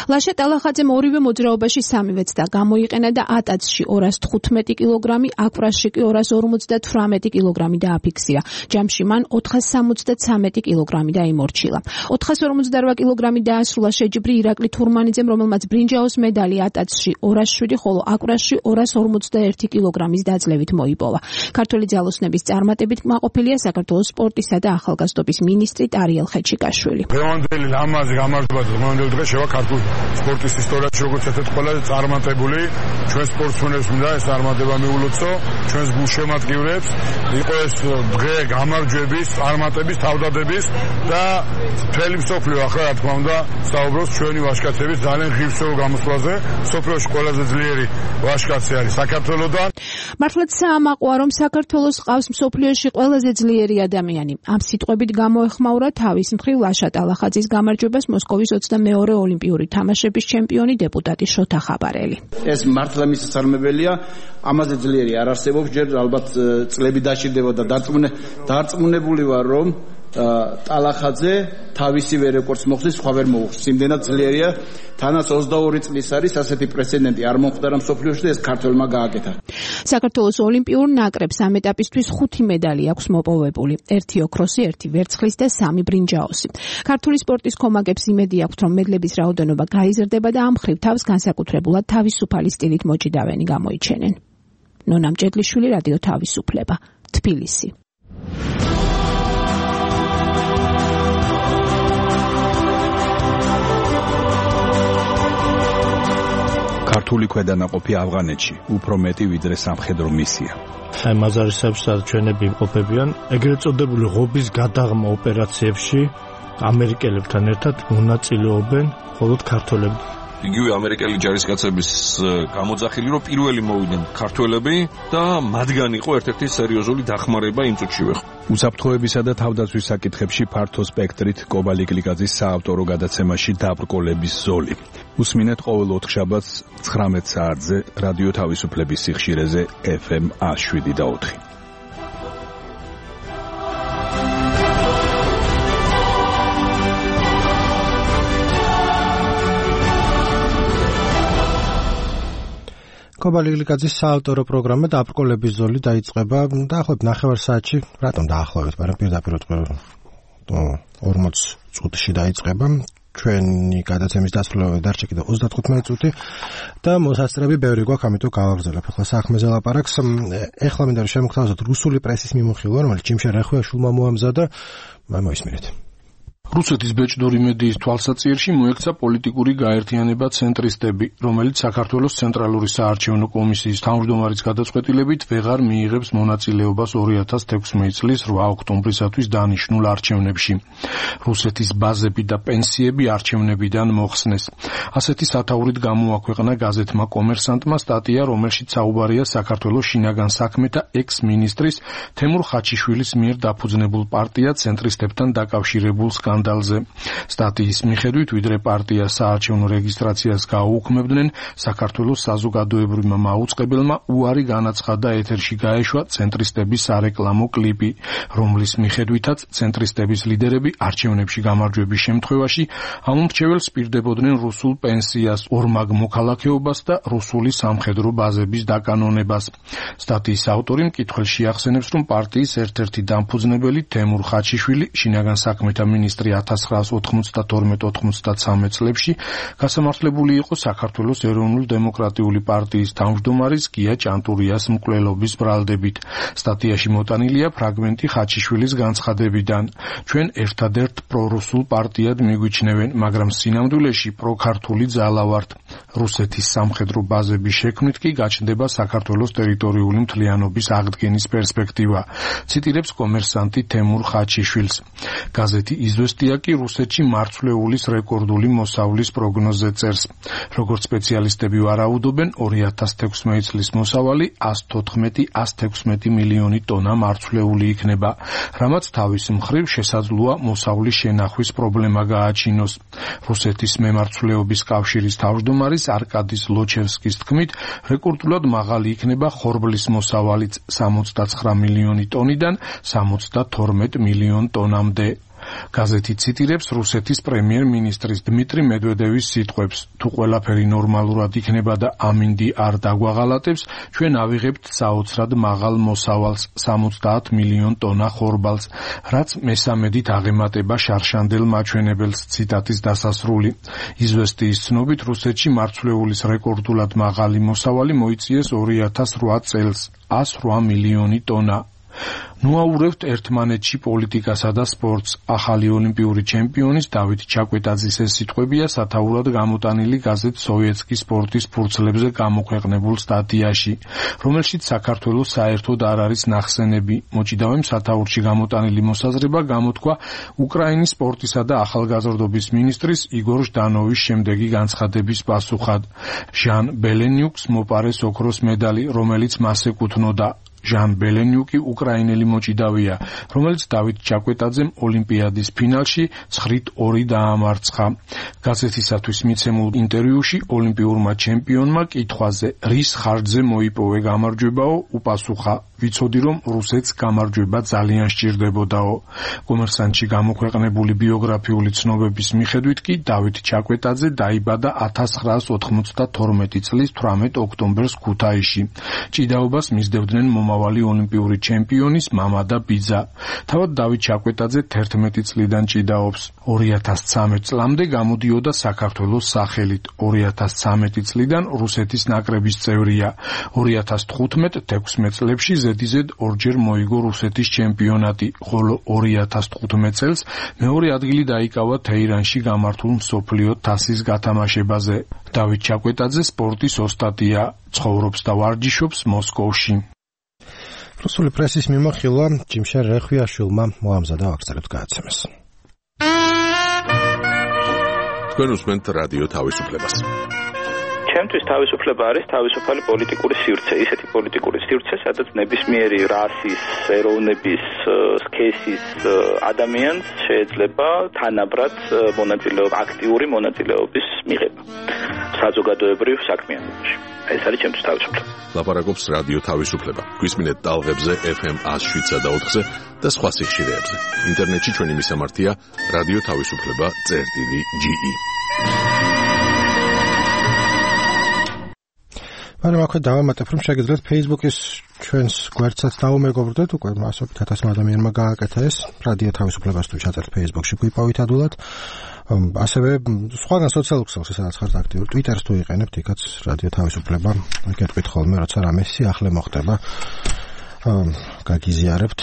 Speaker 26: ლაშა ტალახაძემ ორივე მოძრაობაში სამივეც და გამოიყენა და ატაცში ორას თხუთმეტი კილოგრამი, აკვრაში კი ორას ორმოცდათვრამეტი კილოგრამი დააფიქსირა. ჯამში მან ოთხას სამოცდაცამეტი კილოგრამი დაიმორჩილა. ოთხას ორმოცდარვა კილოგრამი დაასრულა შეჯიბრი ირაკლი თურმანიძემ, რომელმაც ბრინჯაოს медали ატაცში ორას შვიდი, ხოლო აკვრაში ორას ორმოცდაერთი კილოგრამის დაძლევით მოიპოვა. ქართველი ძალოსნების წარმატებით კმაყოფილია საქართველოს სპორტისა და ახალგაზრდობის მინისტრი ტარიელ ხეჩიკაშვილი.
Speaker 5: დღევანდელი ლამაზი გამარჯვება დღევანდელ დღეს შევა ქართულ სპორტის ისტორიაში როგორც ერთ-ერთი ყველაზე წარმატებული ჩვენ სპორტსმენებს მინდა ეს წარმატება მიულოცო ჩვენს გულშემატკივრებს. იყო ეს დღე გამარჯვების, წარმატების, თავდადების და მთელი მსოფლიო ახლა რა თქმა უნდა საუბრობს ჩვენი ვაჟკაცების ძალიან ღირსეულ გამოსვლაზე. მსოფლიოში ყველაზე ძლიერი ვაჟკაცი არის საქართველოდან.
Speaker 26: მართლაც საამაყოა, რომ საქართველოს ყავს მსოფლიოში ყველაზე ძლიერი ადამიანი. ამ სიტყვებით გამოეხმაურა თავის მხრივ ლაშა ტალახაძის გამარჯვებას მოსკოვის ოცდამეორე ოლიმპიური თამაშების ჩემპიონი დეპუტატი შოთა ხაბარელი.
Speaker 7: ეს მართლა მისასალმებელია, ამაზე ძლიერი არ არსებობს, ჯერ ალბათ წლები დაჭირდება და დარწმუნებული ვარ, რომ ტალახაძე თავისივე რეკორდს მოხდის, სხვა ვერ მოუხდის. იმდენად ძლიერია, თანაც ოცდაორი წლის არის ასეთი პრეცედენტი არ მომხდარა მსოფლიოში და ეს ქართველმა გააკეთა.
Speaker 26: საქართველოს ოლიმპიურ ნაკრებს ამ ეტაპისთვის ხუთი медали აქვს მოპოვებული. ერთი ოქროსი, ერთი ვერცხლის და სამი ბრინჯაოსი. ქართული სპორტის კომაგებს იმედი აქვთ, რომ მედლების რაოდენობა გაიზრდება და ამ მხრივ თავს განსაკუთრებულად თავისუფალი სტილით მოჭიდავენი გამოიჩენენ. ნონა მჭედლიშვილი, რადიო თავისუფლება, თბილისი.
Speaker 9: ქართული ქვედანაყოფი ავღანეთში უფრო მეტი ვიდრე სამხედრო მისია.
Speaker 1: აი მაზარისეებს და ჩვენები იმყოფებიან ეგრეთ წოდებული ღობის გადაღმა ოპერაციებში ამერიკელებთან ერთად მონაწილეობენ მხოლოდ ქართველები.
Speaker 14: იგივე ამერიკელი ჯარისკაცების გამოძახილი, რომ პირველი მოვიდნენ ქართველები და მათგან იყო ერთ-ერთი სერიოზული დახმარება იმ წუთშივე.
Speaker 9: უსაფრთხოებისა და თავდაცვის საკითხებში ფართო სპექტრით კობალი გლიკაძის საავტორო გადაცემაში დაბრკოლების ზოლი. უსმინეთ ყოველ ოთხშაბათს ცხრამეტ საათზე რადიო თავისუფლების სიხშირეზე ეფ ემ შვიდი და ოთხი.
Speaker 1: კობალი გლიკაძის საავტორო პროგრამა დაბრკოლების ზოლი დაიწყება დაახლოებით ნახევარ საათში, რატომ დაახლოებით, მაგრამ პირდაპირ ორმოც წუთში დაიწყება. ჩვენი გადაცემის დასრულებამდე დარჩა კიდევ ოცდათხუთმეტი წუთი და მოსასწრები ბევრი გვაქვს, ამიტომ გავაგრძელებ ახლა საქმეზე ლაპარაკს. ეხლა მინდა რომ შემოგთავაზოთ რუსული პრესის მიმოხილვა, რომელიც ჯიმშა რახვიაშვილმა მოამზადა. მოისმინეთ.
Speaker 8: რუსეთის ბეჭდური მედიის თვალსაჩინში მოექცა პოლიტიკური გაერთიანება ცენტრისტები, რომელიც საქართველოს ცენტრალური საარჩევნო კომისიის თავმჯდომარის გადაწყვეტილებით ვეღარ მიიღებს მონაწილეობას ორი ათას თექვსმეტი წლის რვა ოქტომბრისათვის დანიშნულ არჩევნებში. რუსეთის ბაზები და პენსიები არჩევნებიდან მოხსნეს. ასეთი სათაურით გამოაქვეყნა გაზეთმა კომერსანტმა სტატია, რომელშიც საუბარია საქართველოს შინაგან საქმეთა ექს-მინისტრის თემურ ხაჩიშვილის მიერ დაფუძნებულ პარტია ცენტრისტებთან დაკავშირებულ სკანდალზე. სტატიის მიხედვით, ვიდრე პარტია საარჩევნო რეგისტრაციას გააუქმებდნენ, საქართველოს საზოგადოებრივმა მაუწყებელმა უარი განაცხადა ეთერში გაეშვა ცენტრისტების სარეკლამო კლიპი, რომლის მიხედვითაც ცენტრისტების ლიდერები არჩევნებში გამარჯვების შემთხვევაში ამომრჩეველს პირდებოდნენ რუსულ პენსიას, ორმაგ მოქალაქეობას და რუსული სამხედრო ბაზების დაკანონებას. სტატიის ავტორი მკითხველში ახსენებს, რომ პარტიის ერთ-ერთი დამფუძნებელი თემურ ხაჩიშვილი შინაგან საქმეთა მინისტრი ათას ცხრაას ოთხმოცდათორმეტ ოთხმოცდათსამეტ წლებში გასამართლებული იყო საქართველოს ეროვნულ დემოკრატიული პარტიის თავმჯდომარის გია ჭანტურიას მკვლელობის ბრალდებით. სტატიაში მოტანილია ფრაგმენტი ხაჩიშვილის განცხადებიდან. ჩვენ ერთადერთ პრორუსულ პარტიად მიგვიჩნევენ, მაგრამ სინამდვილეში პროქართული ძალა ვართ. რუსეთის სამხედრო ბაზების შექმნით კი გაჩნდება საქართველოს ტერიტორიული მთლიანობის აღდგენის პერსპექტივა. ციტირებს კომერსანტი თემურ ხაჩიშვილს. გაზეთი იზვესტია კი რუსეთში მარცვლეულის რეკორდული მოსავლის პროგნოზზე წერს. როგორც სპეციალისტები ვარაუდობენ, ორი ათას თექვსმეტი წლის მოსავალი ას თოთხმეტი ას თექვსმეტი მილიონი ტონა მარცვლეული იქნება, რამაც თავის მხრივ შესაძლოა მოსავლის შენახვის პრობლემა გააჩინოს. რუსეთის მემარცვლეობის კავშირის თავმჯდომარის არკადი ლოჩევსკის თქმით, რეკორდულად მაღალი იქნება ხორბლის მოსავალიც სამოცდაცხრა მილიონი ტონიდან სამოცდათორმეტ მილიონ ტონამდე. გაზეთი ციტირებს რუსეთის პრემიერ-მინისტრის დმიტრი მედვედევის სიტყვებს: თუ ყველაფერი ნორმალურად იქნება და ამინდი არ დაგვაღალატებს, ჩვენ ავიღებთ საოცრად მაღალ მოსავალს სამოცდაათ მილიონ ტონა ხორბალს, რაც მესამედით აღემატება შარშანდელ მაჩვენებელს. ციტატის დასასრული. იზვესტიის ცნობით, რუსეთში მარცვლეულის რეკორდულად მაღალი მოსავალი მოიწიეს ორი ათას რვა წელს ას რვა მილიონი ტონა. ნუაურევთ ერთმანეთში პოლიტიკასა და სპორტს. ახალი ოლიმპიური ჩემპიონის დავით ჩაკვეტაძის ეს სიტყვებია სათაურად გამოტანილი გაზეთ სოვიეტსკის სპორტის ფურცლებზე გამოქვეყნებულ სტატიაში, რომელშიც საქართველოს საერთოდ არ არის ნახსენები. მოჭიდავემ სათაურში გამოტანილი მოსაზრება გამოთქვა უკრაინის სპორტისა და ახალგაზრდობის მინისტრის იგორ ჟდანოვის შემდეგი განცხადების პასუხად. ჟან ბელენიუკს მოპარეს ოქროს მედალი, რომელიც მას ეკუთვნოდა. ჟან ბელენიუკი უკრაინელი მოჭიდავეა, რომელიც დავით ჩაკვეტაძემ ოლიმპიადის ფინალში ცხრით ორი დაამარცხა. გაზეთისათვის მიცემულ ინტერვიუში ოლიმპიურმა ჩემპიონმა კითხვაზე, რის ხარჯზე მოიპოვე გამარჯვებაო, უპასუხა: ვიცოდი, რომ რუსეთს გამარჯვება ძალიან სჭირდებოდაო. კომერსანტში გამოქვეყნებული ბიოგრაფიული ცნობების მიხედვით კი დავით ჩაკვეტაძე დაიბადა ათას ცხრაას ოთხმოცდათორმეტი წლის თვრამეტ ოქტომბერს ქუთაისში. ჭიდაობას მისდევდნენ მომავალი ოლიმპიური ჩემპიონის მამა და ბიძა. თავად დავით ჩაკვეტაძე თერთმეტი წლიდან ჭიდაობს. ორი ათას ცხრამეტ წლამდე გამოდიოდა საქართველოს სახელით. ორი ათას ცხრამეტი წლიდან რუსეთის ნაკრების წევრია. ორი ათას თხუთმეტ თექვსმეტ წლებში ზედიზედ ორჯერ მოიგო რუსეთის ჩემპიონატი, ხოლო ორი ათას თხუთმეტ წელს მეორე ადგილი დაიკავა თეირანში გამართულ მსოფლიო თასის გათამაშებაზე. დავით ჩაკვეტაძე სპორტის ოსტატია, ცხოვრობს და ვარჯიშობს მოსკოვში.
Speaker 1: რუსული პრესის მიმოხილვა ჯიმშარ რეხვიაშვილმა მოამზადა ვაგზალებთ გააცემეს.
Speaker 10: თქვენ უსმენთ რადიო თავისუფლებას.
Speaker 11: ჩემთვის თავისუფლება არის თავისუფალი პოლიტიკური სივრცე, ისეთი პოლიტიკური სივრცე, სადაც ნებისმიერი რასის, ეროვნების, სქესის ადამიანს შეიძლება თანაბრად მონაწილეობა, აქტიური მონაწილეობის მიღება საზოგადოებრივ საქმიანობაში. ეს არის ჩემთვის თავისუფლება.
Speaker 10: ლაპარაკობს რადიო თავისუფლება. გვისმინეთ ტალღებზე ეფ ემ ას შვიდსა და ოთხზე და სხვა სიხშირეებზე. ინტერნეტში ჩვენი მისამართია რადიო თავისუფლება წერტილი ჯი ი.
Speaker 1: მაგრამ აქვე დავამატებ, რომ შეგიძლიათ Facebook-ის ჩვენს გვერდსაც დაუმეგობრდეთ, უკვე ასობით ათასმა ადამიანმა გააკეთა ეს, რადიო თავისუფლებას თუ ჩაწერთ Facebook-ში გვიპოვით ადვილად. ასევე სხვაგან სოციალურ ქსელში, სადაც ხართ აქტიური, Twitter-ს თუ იყენებთ, იქაც რადიო თავისუფლება, გეტყვით ხოლმე, როცა რამე სიახლე მოხდება, გაგიზიარებთ,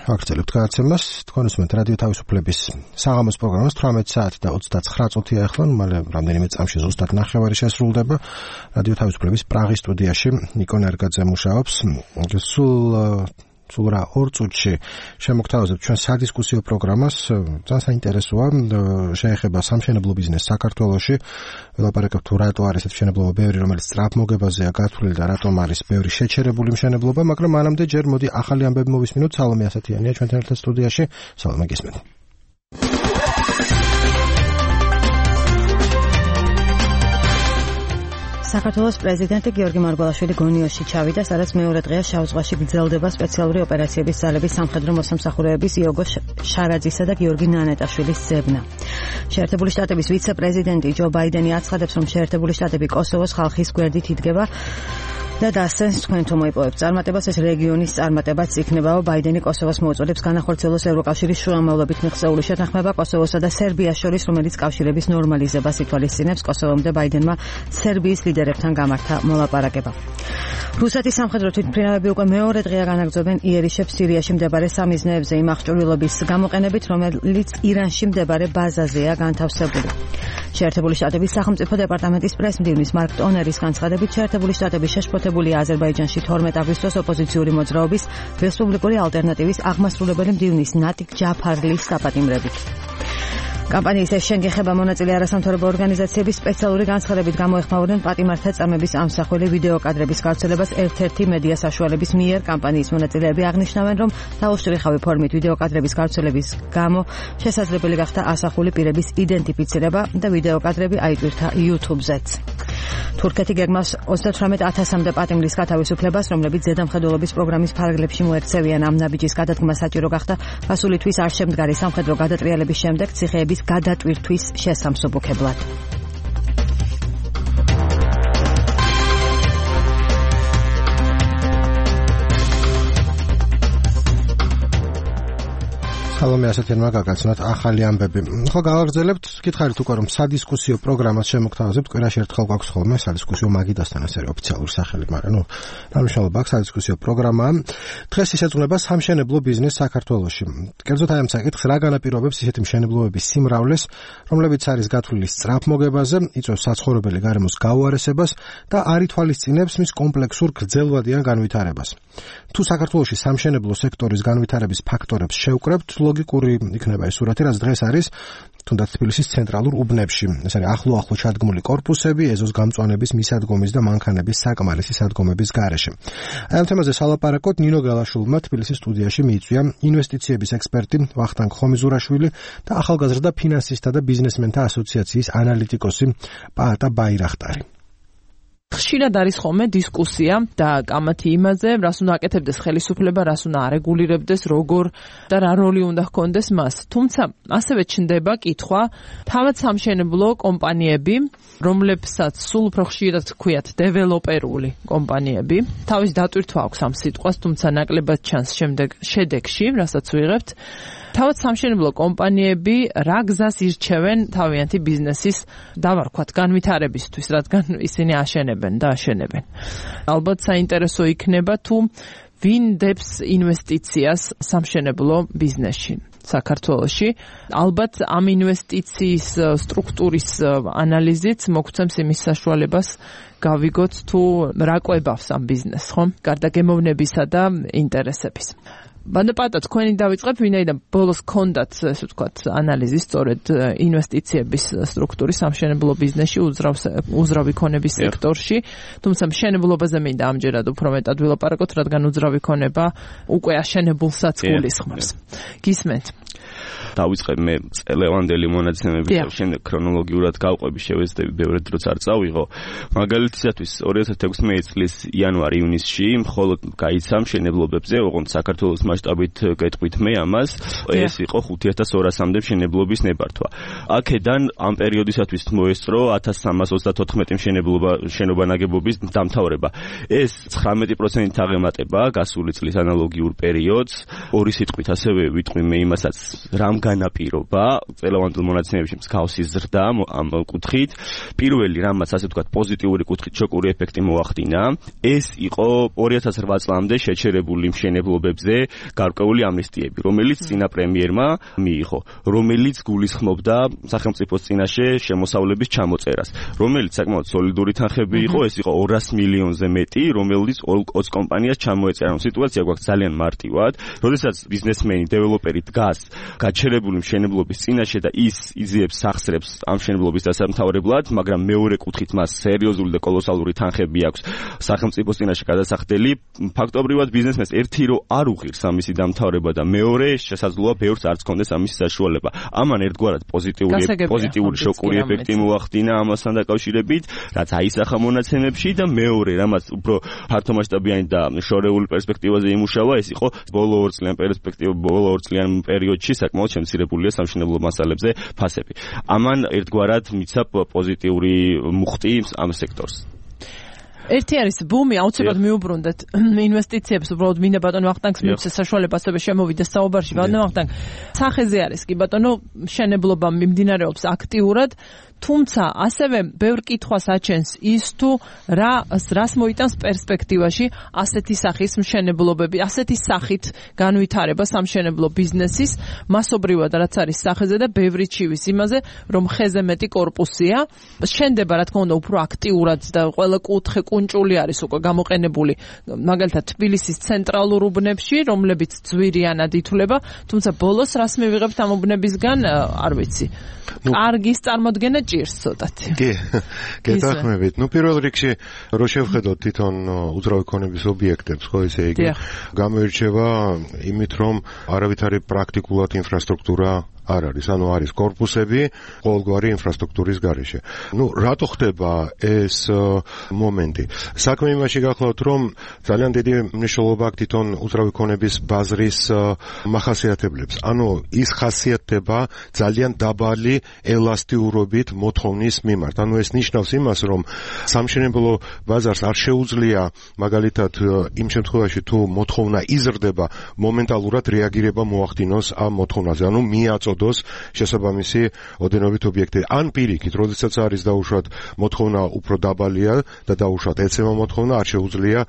Speaker 1: ვაგრძელებთ გადაცემას. თქვენ უსმენთ რადიო თავისუფლების საღამოს პროგრამას თვრამეტი საათი და ოცდაცხრა წუთია ახლა, მალე რამდენიმე წამში ზუსტად ნახევარი შესრულდება. რადიო თავისუფლების პრაღის სტუდიაში ნიკო ნერგაძე მუშაობს. სულ სულ რა ორ წუთში შემოგთავაზებთ ჩვენ სადისკუსიო პროგრამას. ძალიან საინტერესოა, შეეხება სამშენებლო ბიზნესს საქართველოში. ველაპარაკებთ თუ რატო არის ეს მშენებლობა ბევრი, რომელიც სწრაფმოგებაზეა გათვლილი და რატომ არის ბევრი შეჩერებული მშენებლობა, მაგრამ მანამდე ჯერ მოდი ახალი ამბები მოვისმინოთ. სალომე ასათიანია ჩვენთან ერთად სტუდიაში. სალომე, გისმენთ.
Speaker 3: საქართველოს პრეზიდენტი გიორგი მარგველაშვილი გონიოში ჩავიდა, სადაც მეორე დღეა შავ ზღვაში გრძელდება სპეციალური ოპერაციების ძალების სამხედრო მოსამსახურეების იოგო შარაძისა და გიორგი ნანეტაშვილის ძებნა. შეერთებული შტატების ვიცე-პრეზიდენტი ჯო ბაიდენი აცხადებს, რომ შეერთებული შტატები კოსოვოს ხალხის გვერდით იდგება და დასცენს თქვენ თუ მოიპოვებთ წარმატებას, ეს რეგიონის წარმატებაც იქნებაო. ბაიდენი კოსოვოს მოუწოდებს განახორციელოს ევროკავშირის შუამავლობით მიღწეული შეთანხმება კოსოვოსა და სერბიას შორის, რომელიც კავშირების ნორმალიზებას ითვალისწინებს. კოსოვომდე ბაიდენმა სერბიის ლიდერებთან გამართა მოლაპარაკება. რუსეთის სამხედრო თვითმფრინავები უკვე მეორე დღეა განაგრძობენ იერიშებს სირიაში მდებარე სამიზნეებზე იმ აღჭურვილობის გამოყენებით, რომელიც ირანში მდებარე ბაზაზეა განთავსებული. შეერთებული შტატების სახელმწიფო დეპარტამენტის პრესმდივნის მარკ ტონერის განცხადებით, შეერთებული შტატები შეშფოთებულია აზერბაიჯანში თორმეტ აგვისტოს ოპოზიციური მოძრაობის რესპუბლიკური ალტერნატივის აღმასრულებელი მდივნის ნატიკ ჯაფარლის საპატიმრებით. კამპანიის ეს შენგეხება მონაწილე არასამთავრობო ორგანიზაციების სპეციალური განცხადებით გამოეხმაურნენ პატიმართა წამების ამსახველი ვიდეო კადრების გავრცელებას ერთ-ერთი მედია საშუალების მიერ. კამპანიის მონაწილეები აღნიშნავენ, რომ დაუშტრიხავი ფორმით ვიდეო კადრების გავრცელების გამო შესაძლებელი გახდა ასახული პირების იდენტიფიცირება და ვიდეო კადრები აიტვირთა YouTube-ზეც. თურქეთი გეგმავს ოცდათვრამეტ ათასამდე პატიმრის გათავისუფლებას, რომლებიც ზედამხედველობის პროგრამის ფარგლებში მოექცევიან. ამ ნაბიჯის გადადგმა საჭირო გახდა გასული თვის არ შემდგარი სამხედრო გადატრიალების შემდეგ ციხეების გადატვირთვის შესამსუბუქებლად.
Speaker 1: სალომე ასათიანმა გაგაცნოთ ახალი ამბები. ხო, გავაგრძელებთ. გითხარით უკვე რომ სადისკუსიო პროგრამას შემოგთავაზებთ. კვირაში ერთხელ გვაქვს ხოლმე სადისკუსიო მაგიდასთან, ასე ოფიციალური სახელი, მაგრამ ნუ დამშალობა აქვს სადისკუსიო პროგრამა. დღეს ისეწუნება სამშენებლო ბიზნესს საქართველოში. კერძოდ აი ამ საკითხს რა განაპირობებს ისეთი მშენებლობების სიმრავლეს, რომლებიც არის გათვლილი სწრაფმოგებაზე, იწვევს საცხოვრებელი გარემოს გაუარესებას და არ ითვალისწინებს მის კომპლექსურ გრძელვადიან განვითარებას. თუ საქართველოში სამშენებლო სექტორის განვითარების ფაქტორებს შევკრებთ, ლოგიკური იქნება ეს სურათი, რაც დღეს არის თუნდაც თბილისის ცენტრალურ უბნებში. ეს არის ახლო-ახლო ჩადგმული კორპუსები, ეზოს გამწვანების, მისადგომის და მანქანების საკმარისი სადგომების გარეშე. აი ამ თემაზე სალაპარაკოთ ნინო გალაშვილმა თბილისის სტუდიაში მიიწვია ინვესტიციების ექსპერტი ვახტანგ ხომიზურაშვილი და ახალგაზრდა ფინანსისტთა და ბიზნესმენთა ასოციაციის ანალიტიკოსი პაატა ბაირახტარი.
Speaker 12: ხშირად არის ხოლმე დისკუსია და კამათი იმაზე, რას უნდა აკეთებდეს ხელისუფლება, რას უნდა არეგულირებდეს, როგორ და რა როლი უნდა ჰქონდეს მას. თუმცა ასევე ჩნდება კითხვა, თავად სამშენებლო კომპანიები, რომლებსაც სულ უფრო ხშირად ჰქვიათ დეველოპერული კომპანიები, თავის დატვირთვა აქვს ამ სიტყვას, თუმცა ნაკლებად ჩანს შემდეგ შედეგში, რასაც ვიღებთ. თავად სამშენებლო კომპანიები რა გზას ირჩევენ თავიანთი ბიზნესის დავარქვათ განვითარებისთვის, რადგან ისინი აშენებენ და აშენებენ. ალბათ საინტერესო იქნება თუ ვინ დებს ინვესტიციას სამშენებლო ბიზნესში საქართველოში. ალბათ ამ ინვესტიციის სტრუქტურის ანალიზით მოგცემს იმის საშუალებას გავიგოთ თუ რა კვებავს ამ ბიზნესს, ხო? გარდა გემოვნებისა და ინტერესების. ბანდაპატა თქვენი დავიწყებ, ვინაიდან ბოლოს კონდათ, ესე ვთქვათ, ანალიზი სწორედ ინვესტიციების სტრუქტურის სამშენებლო ბიზნესში, უძრავი ქონების სექტორში, თუმცა მშენებლობაზე მინდა ამჯერად უფრო მეტად ვილაპარაკოთ, რადგან უძრავი ქონება უკვე აშენებულსაც გულისხმობს. გისმენთ?
Speaker 13: დავიწყებ მე წელევანდელი მონაცემები და შემდეგ ქრონოლოგიურად გავყვები, შევეცდები ბევრად დროც არ წავიღო. მაგალითისათვის ორი ათას ათექვსმეტი წლის იანვარ-ივნისში მხოლოდ გაიცა მშენებლობებზე, ოღონდ საქართველოს მასშტაბით გეტყვით მე ამას, ეს იყო ხუთი ათას ორასამდე მშენებლობის ნებართვა. აქედან ამ პერიოდისათვის მოესწრო ათას სამას ოცდათოთხმეტი მშენებლობა შენობა ნაგებობის დამთავრება. ეს ცხრამეტი პროცენტით აღემატება გასული წლის ანალოგიურ პერიოდს. ორი სიტყვით ასევე ვიტყვი მე იმასაც, რამ განაპირობა წელოვანდელ მონაცემებში მსგავსი ზრდა ამ კუთხით. პირველი რამაც ასე ვთქვათ პოზიტიური კუთხით შოკური ეფექტი მოახდინა, ეს იყო ორი ათას რვა წლამდე შეჩერებული მშენებლობებზე გარკვეული ამნისტიები, რომელიც წინა პრემიერმა მიიღო, რომელიც გულისხმობდა სახელმწიფოს წინაშე შემოსავლების ჩამოწერას, რომელიც საკმაოდ სოლიდური თანხები იყო, ეს იყო ორას მილიონზე მეტი, რომელიც ოცი კომპანიას ჩამოეწერა. სიტუაცია გვაქვს ძალიან მარტივად, როდესაც ბიზნესმენი, დეველოპერი დგას გაჩერებული მშენებლობის წინაშე და ის იძიებს სახსრებს ამ მშენებლობის დასამთავრებლად, მაგრამ მეორე კუთხით მას სერიოზული და კოლოსალური თანხები აქვს სახელმწიფოს წინაშე გადასახდელი, ფაქტობრივად ბიზნესმენს ერთი რო არ უღირს ამისი დამთავრება და მეორე შესაძლოა ბევრს არც კონდეს ამის საშუალება. ამან ერთგვარად პოზიტიური პოზიტიური შოკური ეფექტი მოახდინა ამასთან დაკავშირებით, რაც აისახა მონაცემებში და მეორე, რამაც უფრო ფართომასშტაბიანი და შორეული პერსპექტივაზე იმუშავა, ეს იყო ბოლო ორ წლიან პერსპექტივა, ბოლო ორ წლიან პერიოდში საკმაოდ შემცირებულია სამშენებლო მასალებზე ფასები. ამან ერთგვარად მიცა პოზიტიური მუხტი ამ სექტორს.
Speaker 12: ერთი არის ბუმი, აუცილებლად მიუბრუნდეთ ინვესტიციებს, უბრალოდ მინდა ბატონო ვახტანგს მიცე საშუალება ასევე შემოვიდეს საუბარში. ბატონო ვახტანგ, სახეზე არის კი ბატონო, მშენებლობა მიმდინარეობს აქტიურად, თუმცა ასევე ბევრ კითხვას აჩენს ის თუ რა რას მოიტანს პერსპექტივაში ასეთი სახის მშენებლობები, ასეთი სახით განვითარება სამშენებლო ბიზნესის, მასობრივად რაც არის სახეზე და ბევრი ჩივის იმაზე, რომ ხეზე მეტი კორპუსია, შენდება რა თქმა უნდა უფრო აქტიურად და ყველა კუთხე კუნჭული არის უკვე გამოყენებული, მაგალითად თბილისის ცენტრალურ უბნებში, რომლებიც ძვირიანად ითვლება, თუმცა ბოლოს რას მივიღებთ ამ უბნებისგან, არ ვიცი. კარგის წარმოდგენა ჭირს ცოტათი.
Speaker 6: კი, გეთანხმებით. ნუ პირველ რიგში რო შევხედოთ თვითონ უძრავი ქონების ობიექტებს, ხო ესე იგი, გამოირჩევა იმით, რომ არავითარი პრაქტიკულად ინფრასტრუქტურა არ არის, ანუ არის კორპუსები ყოველგვარი ინფრასტრუქტურის გარეშე. ნუ რატო ხდება ეს მომენტი? საქმე იმაში გახლავთ, რომ ძალიან დიდი მნიშვნელობა აქვს თვითონ უძრავი ქონების ბაზრის მახასიათებლებს. ანუ ის ხასიათდება ძალიან დაბალი ელასტიურობით მოთხოვნის მიმართ. ანუ ეს ნიშნავს იმას, რომ სამშენებლო ბაზარს არ შეუძლია მაგალითად იმ შემთხვევაში თუ მოთხოვნა იზრდება, მომენტალურად რეაგირება მოახდინოს ამ მოთხოვნაზე. ანუ მიაწოდოს შესაბამისი ოდენობით ობიექტები. ან პირიქით, როდესაც არის დაუშვათ მოთხოვნა უფრო დაბალია და დაუშვათ ეცემა მოთხოვნა, არ შეუძლია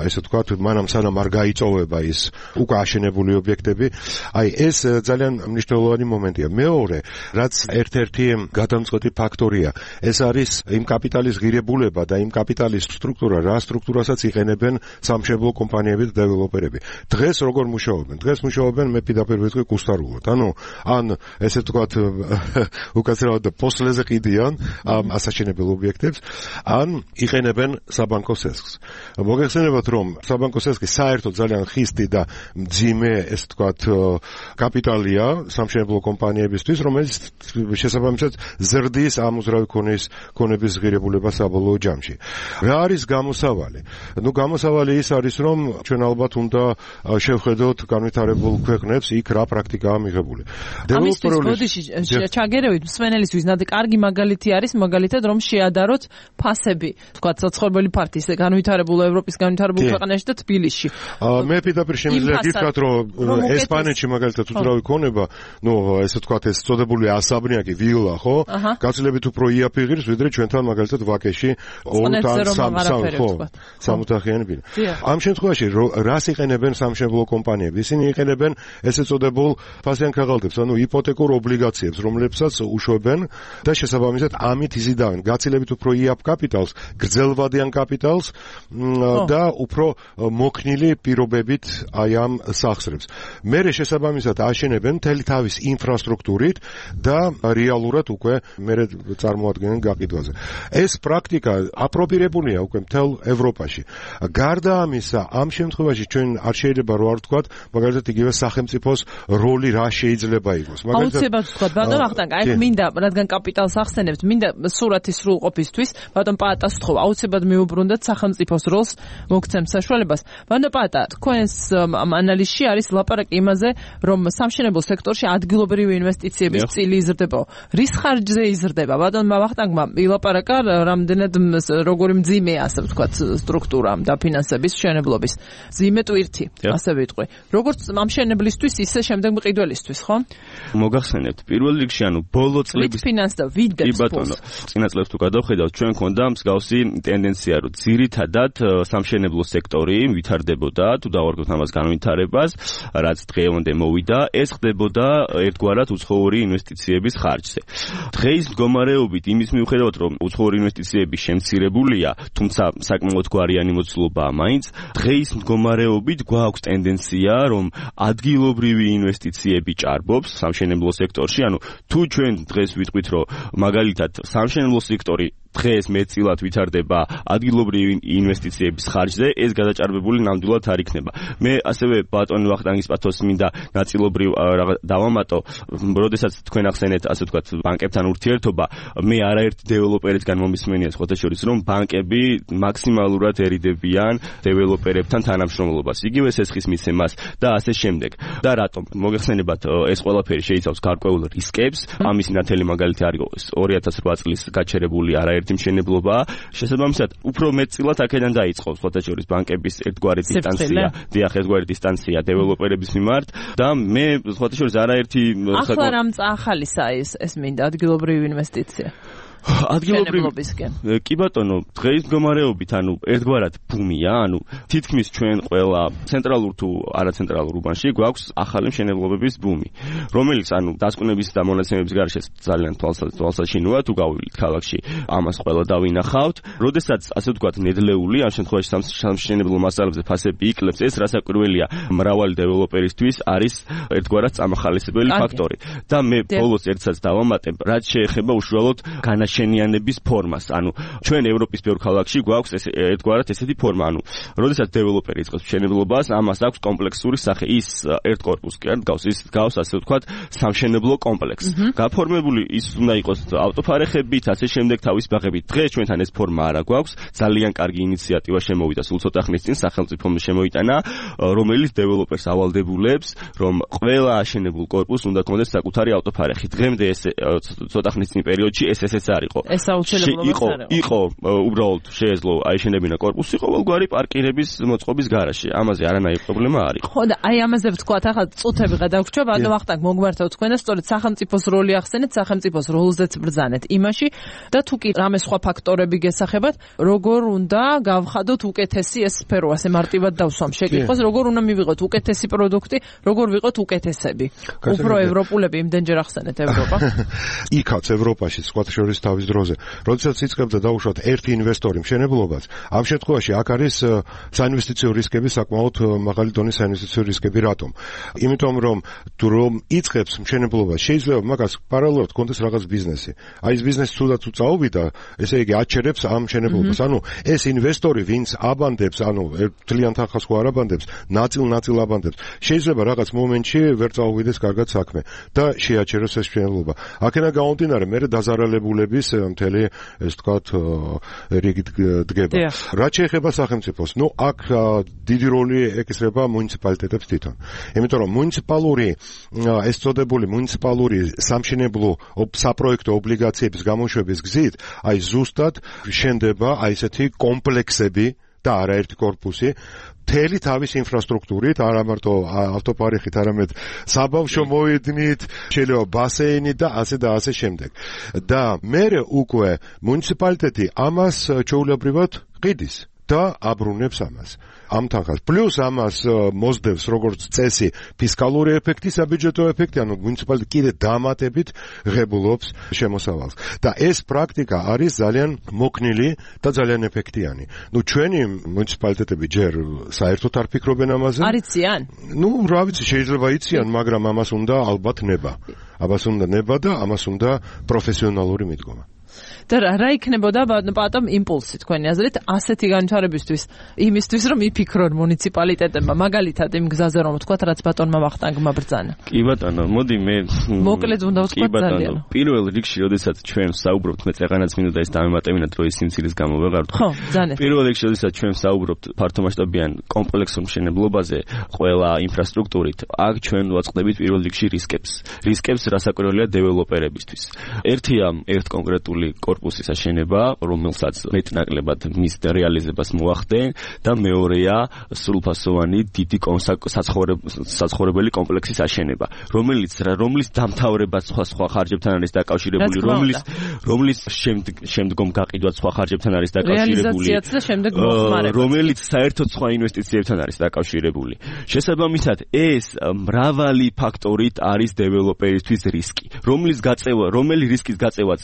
Speaker 6: ესე ვთქვათ, მანამ სანამ არ გაიწოვება ის უკვე აშენებული ობიექტები. აი ეს ძალიან მნიშვნელოვანი მომენტია. მეორე, რაც ერთ-ერთი გადამწყვეტი ფაქტორია, ეს არის იმ კაპიტალის ღირებულება და იმ კაპიტალის სტრუქტურა, რა სტრუქტურასაც იყენებენ სამშენებლო კომპანიები და დეველოპერები. დღეს როგორ მუშაობენ? დღეს მუშაობენ მე პირდაპირ ვიტყვი კუსტარულად. ანუ ან ესე ვთქვათ, უკაცრავად პოსლეზე ყიდიან ამ ასაშენებელ ობიექტებს, ან იყენებენ საბანკო სესხს. მოგეხსენებათ, რომ საბანკო სესხი საერთოდ ძალიან ხისტი და მძიმე, ესე ვთქვათ, კაპიტალია სამშენებლო კომპანიებისთვის, რომელიც შესაბამისად ზრდის ამ უძრავი ქონის ქონების ღირებულება საბოლოო ჯამში. რა არის გამოსავალი? ნუ გამოსავალი ის არის, რომ ჩვენ ალბათ უნდა შევხედოთ განვითარებულ ქვეყნებს, იქ რა პრაქტიკაა მიღებული.
Speaker 12: ამისთვის ბოდიში ჩაგერევით მსმენელისთვის ნადი კარგი მაგალითი არის, მაგალითად რომ შეადაროთ ფასები, თქვათ საცხოვრებელი ფართის განვითარებულ ევროპის განვითარებულ ქვეყანაში და თბილისში.
Speaker 6: მე პირდაპირ შემიძლია გითხრათ, რომ ესპანეთში მაგალითად უძრავი ქონება, ნუ ესე ვთქვათ, ეს წოდებული ასაბრიაკი ვილა, ხო? გაცილებით უფრო იაფიღირს, ვიდრე ჩვენთან მაგალითად ვაკეში ორი ან სამი, ხო? სამოთახიანი ბინა. ამ შემთხვევაში რას იყენებენ სამშენებლო კომპანიები? ისინი იყენებენ ესე წოდებულ ფასიან ქაღალდებს, ანუ იპოთეკურ ობლიგაციებს, რომლებსაც უშვებენ და შესაბამისად ამით იზიდავენ გაცილებით უფრო იაფ კაპიტალს, გრძელვადიან კაპიტალს და უფრო მოქნილი პირობებით აი ამ სახსრებს. მერე შესაბამისად აშენებენ მთელი თავის ინფრასტრუქტურით და რეალურად უკვე მერე წარმოადგენენ გაყიდვაზე. ეს პრაქტიკა აპრობირებულია უკვე მთელ ევროპაში. გარდა ამისა, ამ შემთხვევაში ჩვენ არ შეიძლება რო არ ვთქვათ, მაგალითად იგივე სახელმწიფოს როლი რა შეიძლება იყოს.
Speaker 12: აუცილებლად ვთქვათ, ბატონ ვახტანგ, აი მინდა, რადგან კაპიტალს ახსენებთ, მინდა სურათის სრულყოფისთვის, ბატონ პაატას ვთხოვ, აუცილებლად მიუბრუნდეთ სახელმწიფოს როლს, მოგცემ საშუალებას. ბატონ პაატა, თქვენს ანალიზში არის ლაპარაკი იმაზე, რომ სამშენებლო სექტორში ადგილობრივი ინვესტიციების წილი იზრდება. რის ხარჯზე იზრდება? ბატონ ვახტანგმა ილაპარაკა, რამდენად როგორი მძიმეა, ასე ვთქვათ, სტრუქტურა დაფინანსების მშენებლობის. მძიმე ტვირთი, ასე ვიტყვი. როგორც ამ მშენებლისთვის, ისე შემდეგ მყიდველისთვის, ხო?
Speaker 13: მოგახსენებთ პირველ რიგში ანუ ბოლო წლების
Speaker 12: ფინანსდა ვიდებს
Speaker 13: ბატონო წინა წლებს თუ გადავხედავთ ჩვენ ქონდა მსგავსი ტენდენცია რომ ძირითადად სამშენებლო სექტორი ვითარდებოდა თუ დავარგოთ ამას განვითარებას რაც დღევანდე მოვიდა ეს ხდებოდა ერთგვარად უცხოური ინვესტიციების ხარჯზე დღეის მდგომარეობით იმის მიუხედავად რომ უცხოური ინვესტიციები შემცირებულია თუმცა საკმაოდ გვარიანი მოცულობაა მაინც დღეის მდგომარეობით გვაქვს ტენდენცია რომ ადგილობრივი ინვესტიციები ჭარბობს სამშენებლო სექტორში ანუ თუ ჩვენ დღეს ვიტყვით რომ მაგალითად სამშენებლო სექტორი დღეს მეტწილად ვითარდება ადგილობრივი ინვესტიციების ხარჯზე, ეს გადაჭარბებული ნამდვილად არ იქნება. მე ასევე ბატონ ვახტანგის პათოსს მინდა ნაწილობრივ დავამატო, როდესაც თქვენ ახსენეთ, ასე ვთქვათ, ბანკებთან ურთიერთობა, მე არაერთ დეველოპერისგან მომისმენია სხვათა შორის, რომ ბანკები მაქსიმალურად ერიდებიან დეველოპერებთან თანამშრომლობას, იგივე სესხის მიცემას და ასე შემდეგ. და რატომ? მოგეხსენებათ, ეს ყველაფერი შეიცავს გარკვეულ რისკებს, ამის ნათელი მაგალითი არის ორი ათას რვა წლის გაჩერებული არაერთ მშენებლობა, შესაბამისად, უფრო მეტწილად აქედან დაიწყო სხვათა შორის ბანკების ერთგვარი დისტანცია, დიახ, ერთგვარი დისტანცია დეველოპერების მიმართ და მე სხვათა შორის არაერთი
Speaker 12: ახლა რამ ახალისა ეს ეს მინდა ადგილობრივი ინვესტიცია.
Speaker 13: ადგილობრივი კი ბატონო დღეის მდგომარეობით ანუ ერთგვარად ბუმია ანუ თითქმის ჩვენ ყველა ცენტრალურ თუ არაცენტრალურ უბანში გვაქვს ახალი მშენებლობების ბუმი რომელიც ანუ დასკვნების და მონაცემების გარშე ძალიან თვალსაჩინოა თუ გავივლით ქალაქში ამას ყველა დავინახავთ როდესაც ასე ვთქვათ ნედლეული ამ შემთხვევაში სამშენებლო მასალებზე ფასები იკლებს ეს რასაკვირველია მრავალი დეველოპერისთვის არის ერთგვარად წამახალისებელი ფაქტორი და მე ბოლოს ერთსაც დავამატებ რაც შეეხება უშუალოდ განაშენების შენიანების ფორმას. ანუ ჩვენ ევროპის ბევრ ქალაქში გვაქვს ეს ერთგვარად ესეთი ფორმა. ანუ როდესაც დეველოპერი იწყებს მშენებლობას, ამას აქვს კომპლექსური სახე. ის ერთ კორპუსს კი არ გავს, ის გავს ასე ვთქვათ, სამშენებლო კომპლექსს. გაფორმებული ის უნდა იყოს ავტოფარეხებით, ასე შემდეგ თავის ბაღებით. დღეს ჩვენთან ეს ფორმა არა გვაქვს. ძალიან კარგი ინიციატივა შემოვიდა სულ ცოტა ხნის წინ სახელმწიფომ შემოიტანა, რომელიც დეველოპერს ავალდებულებს, რომ ყველა აშენებულ კორპუსს უნდა ქონდეს საკუთარი ავტოფარეხი. დღემდე ეს ცოტა ხნის წინ პერიოდში ეს ესეც იყო.
Speaker 12: ეს აუცილებლობა
Speaker 13: იყო, იყო უბრალოდ შეეძლო აიშენებინა კორპუსი ყოველგვარი პარკირების მოწყობის გარაშე. ამაზე არანაირი პრობლემა არ იყო.
Speaker 12: ხო და აი ამაზე ვთქვათ, ახლა წუთები გადავგვჭა, ბატონო ვახტანგ მოგმართავ თქვენ და სწორედ სახელმწიფოს როლი ახსენეთ, სახელმწიფოს როლზეც ბრძანეთ იმაში და თუ კი რამე სხვა ფაქტორები გესახებათ, როგორ უნდა გავხადოთ უკეთესი ეს სფერო, ასე მარტივად დავსვამ შეკითხვას, როგორ უნდა მივიღოთ უკეთესი პროდუქტი, როგორ ვიყოთ უკეთესები. უფრო ევროპულები იმდენჯერ ახსენეთ ევროპა.
Speaker 6: იქაც ევროპაში სხვა შორის თავის დროზე. როდესაც იწყებდა დაუშვათ ერთი ინვესტორი მშენებლობას, ამ შემთხვევაში აქ არის საინვესტიციო რისკები, საკმაოდ მაღალი დონის საინვესტიციო რისკები. რატომ? იმიტომ რომ თუ რომ იწყებს მშენებლობას, შეიძლება მაგას პარალელურად კონდეს რაღაც ბიზნესი. აი ეს ბიზნესი თუნდაც თუ წაუვიდა, ესე იგი აჩერებს ამ მშენებლობას. ანუ ეს ინვესტორი, ვინც აბანდებს, ანუ ძალიან თანხას ხო არ აბანდებს, ნაწილ-ნაწილ აბანდებს. შეიძლება რაღაც მომენტში ვერ წაუვიდეს კარგად საქმე და შეაჩეროს ეს მშენებლობა. აქედან გამომდინარე, მე დაზარალებულების მთელი ეს თქვათ რიგი დგება. რაც შეეხება სახელმწიფოს, ნუ აქ დიდი როლი ეკისრება მუნიციპალიტეტებს თვითონ. იმიტომ რომ მუნიციპალური ეს წოდებული მუნიციპალური სამშენებლო საპროექტო ობლიგაციების გამოშვების გზით, აი ზუსტად შენდება აი ესეთი კომპლექსები და არაერთი კორპუსი მთელი თავის ინფრასტრუქტურით, არა მარტო ავტოპარეხით, არამედ საბავშვო მოედნით, შეიძლება ბასეინი და ასე და ასე შემდეგ. და მერე უკვე მუნიციპალიტეტი ამას ჩვეულებრივად ყიდის და აბრუნებს ამას. ამ თანხას. პლუს ამას მოსდევს როგორც წესი ფისკალური ეფექტი, საბიუჯეტო ეფექტი, ანუ მუნიციპალიტეტი კიდე დამატებით ღებულობს შემოსავალს. და ეს პრაქტიკა არის ძალიან მოქნილი და ძალიან ეფექტიანი. ნუ ჩვენი მუნიციპალიტეტები ჯერ საერთოდ არ ფიქრობენ ამაზე.
Speaker 12: არ იციან?
Speaker 6: ნუ რა ვიცი, შეიძლება იციან, მაგრამ ამას უნდა ალბათ ნება. ამას უნდა ნება და ამას უნდა პროფესიონალური მიდგომა.
Speaker 12: და რა იქნებოდა ბატონ იმპულსი თქვენი აზრით ასეთი განვითარებისთვის იმისთვის რომ იფიქრონ მუნიციპალიტეტებმა მაგალითად იმ გზაზე რომ ვთქვათ რაც ბატონმა ვახტანგმა ბრძანა.
Speaker 13: კი ბატონო, მოდი მე
Speaker 12: მოკლედ უნდა ვთქვათ ძალიან.
Speaker 13: პირველ რიგში, როდესაც ჩვენ საუბრობთ, მე წეღანაც მინდა ეს დამემატებინა დროის სიმცირის გამო ვეღარ ვთქვი.
Speaker 12: ხო, ძალიან.
Speaker 13: პირველ რიგში, როდესაც ჩვენ საუბრობთ ფართომასშტაბიან კომპლექსურ მშენებლობაზე, ყველა ინფრასტრუქტურით, აქ ჩვენ ვაწყდებით პირველ რიგში რისკებს. რისკებს რასაკვირველია დეველოპერებისთვის. ერთია ერთ კონკრეტულ დიპლომატიური კორპუსის აშენება, რომელსაც მეტნაკლებად მის რეალიზებას მოახდენ და მეორეა სრულფასოვანი დიდი საცხოვრებელი კომპლექსის აშენება, რომელიც რომლის დამთავრება სხვა სხვა ხარჯებთან არის დაკავშირებული, რომლის რომლის შემდგომ გაყიდვაც სხვა ხარჯებთან არის დაკავშირებული, რომელიც საერთოდ სხვა ინვესტიციებთან არის დაკავშირებული. შესაბამისად, ეს მრავალი ფაქტორით არის დეველოპერისთვის რისკი, რომლის გაწევა, რომელი რისკის გაწევაც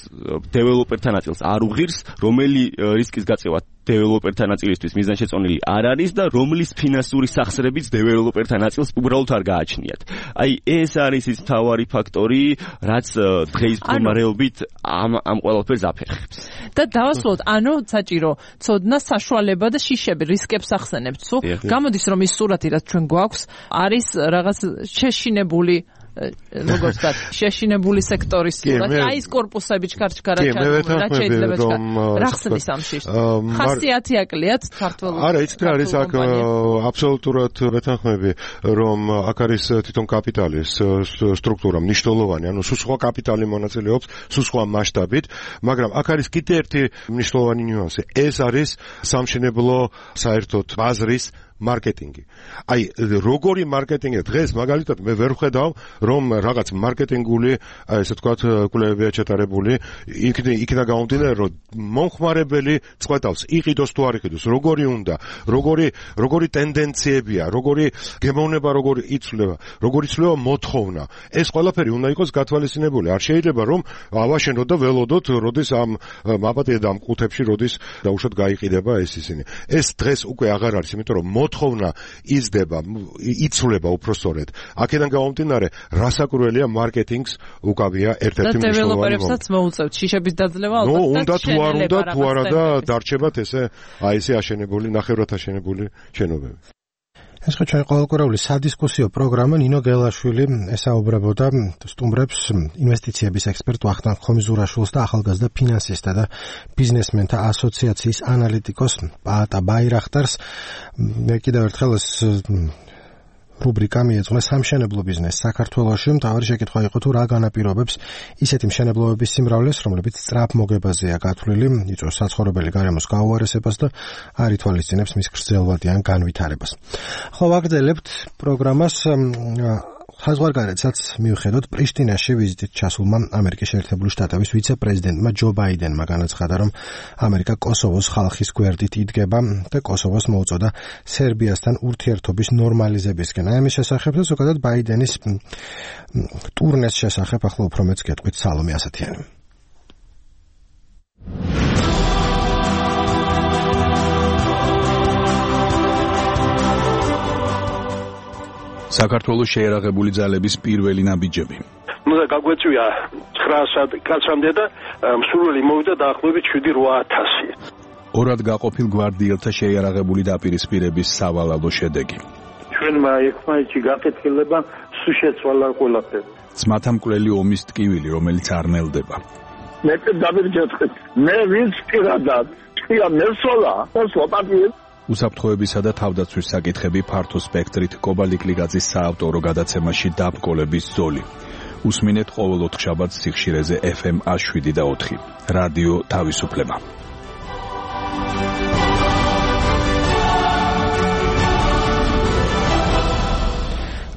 Speaker 13: დეველოპერთან ნაწილს არ უღირს, რომელი რისკის გაწევა დეველოპერთან ნაწილისთვის მიზანშეწონილი არ არის და რომლის ფინანსური სახსრებიც დეველოპერთან ნაწილს უბრალოდ არ გააჩნიათ. აი ეს არის ის მთავარი ფაქტორი, რაც დღეს მდგომარეობით ამ ამ ყველაფერს აფერხებს.
Speaker 12: და დავასრულოთ, ანუ საჭირო ცოდნა, საშუალება და შიშები, რისკებს ახსენებთ. სულ გამოდის რომ ის სურათი, რაც ჩვენ გვაქვს, არის რაღაც შეშინებული როგორც ვთქვათ, შეშინებული სექტორის სურათი, აი ეს კორპუსები ჩქარჩქარაჩა, რაც შეიძლება რა ხსნის ამ შიშს. ხასიათი აკლიათ ქართველ.
Speaker 6: არა, იცით რა არის აქ აბსოლუტურად ვეთანხმები, რომ აქ არის თვითონ კაპიტალის სტრუქტურა მნიშვნელოვანი, ანუ სულ სხვა კაპიტალი მონაწილეობს, სულ სხვა მასშტაბით, მაგრამ აქ არის კიდე ერთი მნიშვნელოვანი ნიუანსი. ეს არის სამშენებლო საერთოდ ბაზრის მარკეტინგი. აი, როგორი მარკეტინგია დღეს მაგალითად მე ვერ ვხედავ, რომ რაღაც მარკეტინგული, ესე ვთქვათ, კვლევებია ჩატარებული, იქნა გამომდინარე, რომ მომხმარებელი წყვეტავს, იყიდოს თუ არ იყიდოს, როგორი უნდა, როგორი როგორი ტენდენციებია, როგორი გემოვნება, როგორი იცვლება, როგორი იცვლება მოთხოვნა. ეს ყველაფერი უნდა იყოს გათვალისწინებული. არ შეიძლება რომ ავაშენოთ და ველოდოთ, როდის ამ მაპატია და ამ ყუთებში როდის დაუშვათ გაიყიდება ეს ისინი. ეს დღეს უკვე აღარ არის, იმიტომ რომ მოთხოვნა იზრდება, იცვლება უпростоრედ. აქედან გამომდინარე, რასაკურველია მარკეტინგს უკავია ერთ-ერთი მნიშვნელოვანი. და
Speaker 12: დეველოპერებსაც მოუწევთ შიშების დაძლევა ალბათ.
Speaker 6: ნუ უნდა თუ არ უნდა, თუ არა და დარჩებათ ესე, აი ესე აშენებული, ნახევრად აშენებული შენობები.
Speaker 1: ეს ხო ჩვენ ყოველკვირეული სადისკუსიო პროგრამა ნინო გელაშვილი ესაუბრებოდა სტუმრებს ინვესტიციების ექსპერტ ვახტანგ ხომიზურაშვილს და ახალგაზრდა ფინანსისტთა და ბიზნესმენთა ასოციაციის ანალიტიკოს პაატა ბაირახტარს. მე კიდევ ერთხელ ეს რუბრიკა მიეძღვნა სამშენებლო ბიზნესს საქართველოში. მთავარი შეკითხვა იყო თუ რა განაპირობებს ისეთი მშენებლობების სიმრავლეს, რომლებიც სწრაფ მოგებაზეა გათვლილი, იწვევს საცხოვრებელი გარემოს გაუარესებას და არ ითვალისწინებს მის გრძელვადიან განვითარებას. ხო, ვაგრძელებთ პროგრამას. საზღვარგარეთსაც მიუხედავად პრიშტინაში ვიზიტით ჩასულმა ამერიკის შეერთებული შტატების ვიცე-პრეზიდენტმა ჯო ბაიდენმა განაცხადა, რომ ამერიკა კოსოვოს ხალხის გვერდით იდგება და კოსოვოს მოუწოდა სერბიასთან ურთიერთობის ნორმალიზებისკენ. აი ამის შესახებ და ზოგადად ბაიდენის ტურნეს შესახებ ახლა უფრო მეც გეტყვით სალომე ასათიანი.
Speaker 9: საქართველოს შეერაღებული ძალების პირველი ნაბიჯები.
Speaker 15: ნუ და გაგვეწვია ცხრა კაცამდე და მსურველი მოვიდა დაახლოებით შვიდი რვა ათასი.
Speaker 9: ორად გაყოფილ გვარდიელთა შეერაღებული დაპირისპირების სავალალო შედეგი.
Speaker 15: ჩვენმა ერთმანეთში გაკეთილება სულ შეცვალა ყველაფერი.
Speaker 9: ძმათა მკვლელი ომის ტკივილი, რომელიც არ ნელდება.
Speaker 18: მე დავირჯეთხეთ. მე ვინც პირადად ხია მესოლა, სლოპატი
Speaker 9: უსაფრთხოებისა და თავდაცვის საკითხები ფართო სპექტრით კობალიკლიგაძის საავტორო გადაცემაში დაბრკოლების ზოლი. უსმინეთ ყოველ ოთხშაბათს სიხშირეზე ეფ ემ ას შვიდი და ოთხი. რადიო თავისუფლება.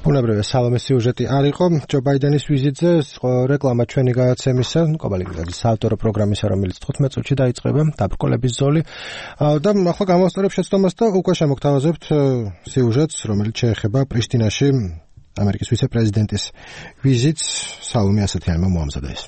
Speaker 1: ბუნებრივია სალომეს სიუჟეტი არ იყო ჯო ბაიდენის ვიზიტზე, რეკლამა ჩვენი გადაცემისა, კობალიკლიგაძის საავტორო პროგრამისა, რომელიც თხუთმეტ წუთში დაიწყება, დაბრკოლების ზოლი. და ახლა გამოვასწორებ შეცდომას და უკვე შემოგთავაზებთ სიუჟეტს, რომელიც შეეხება პრიშტინაში ამერიკის ვიცე-პრეზიდენტის ვიზიტს. სალომე ასათიანმა მოამზადა ეს.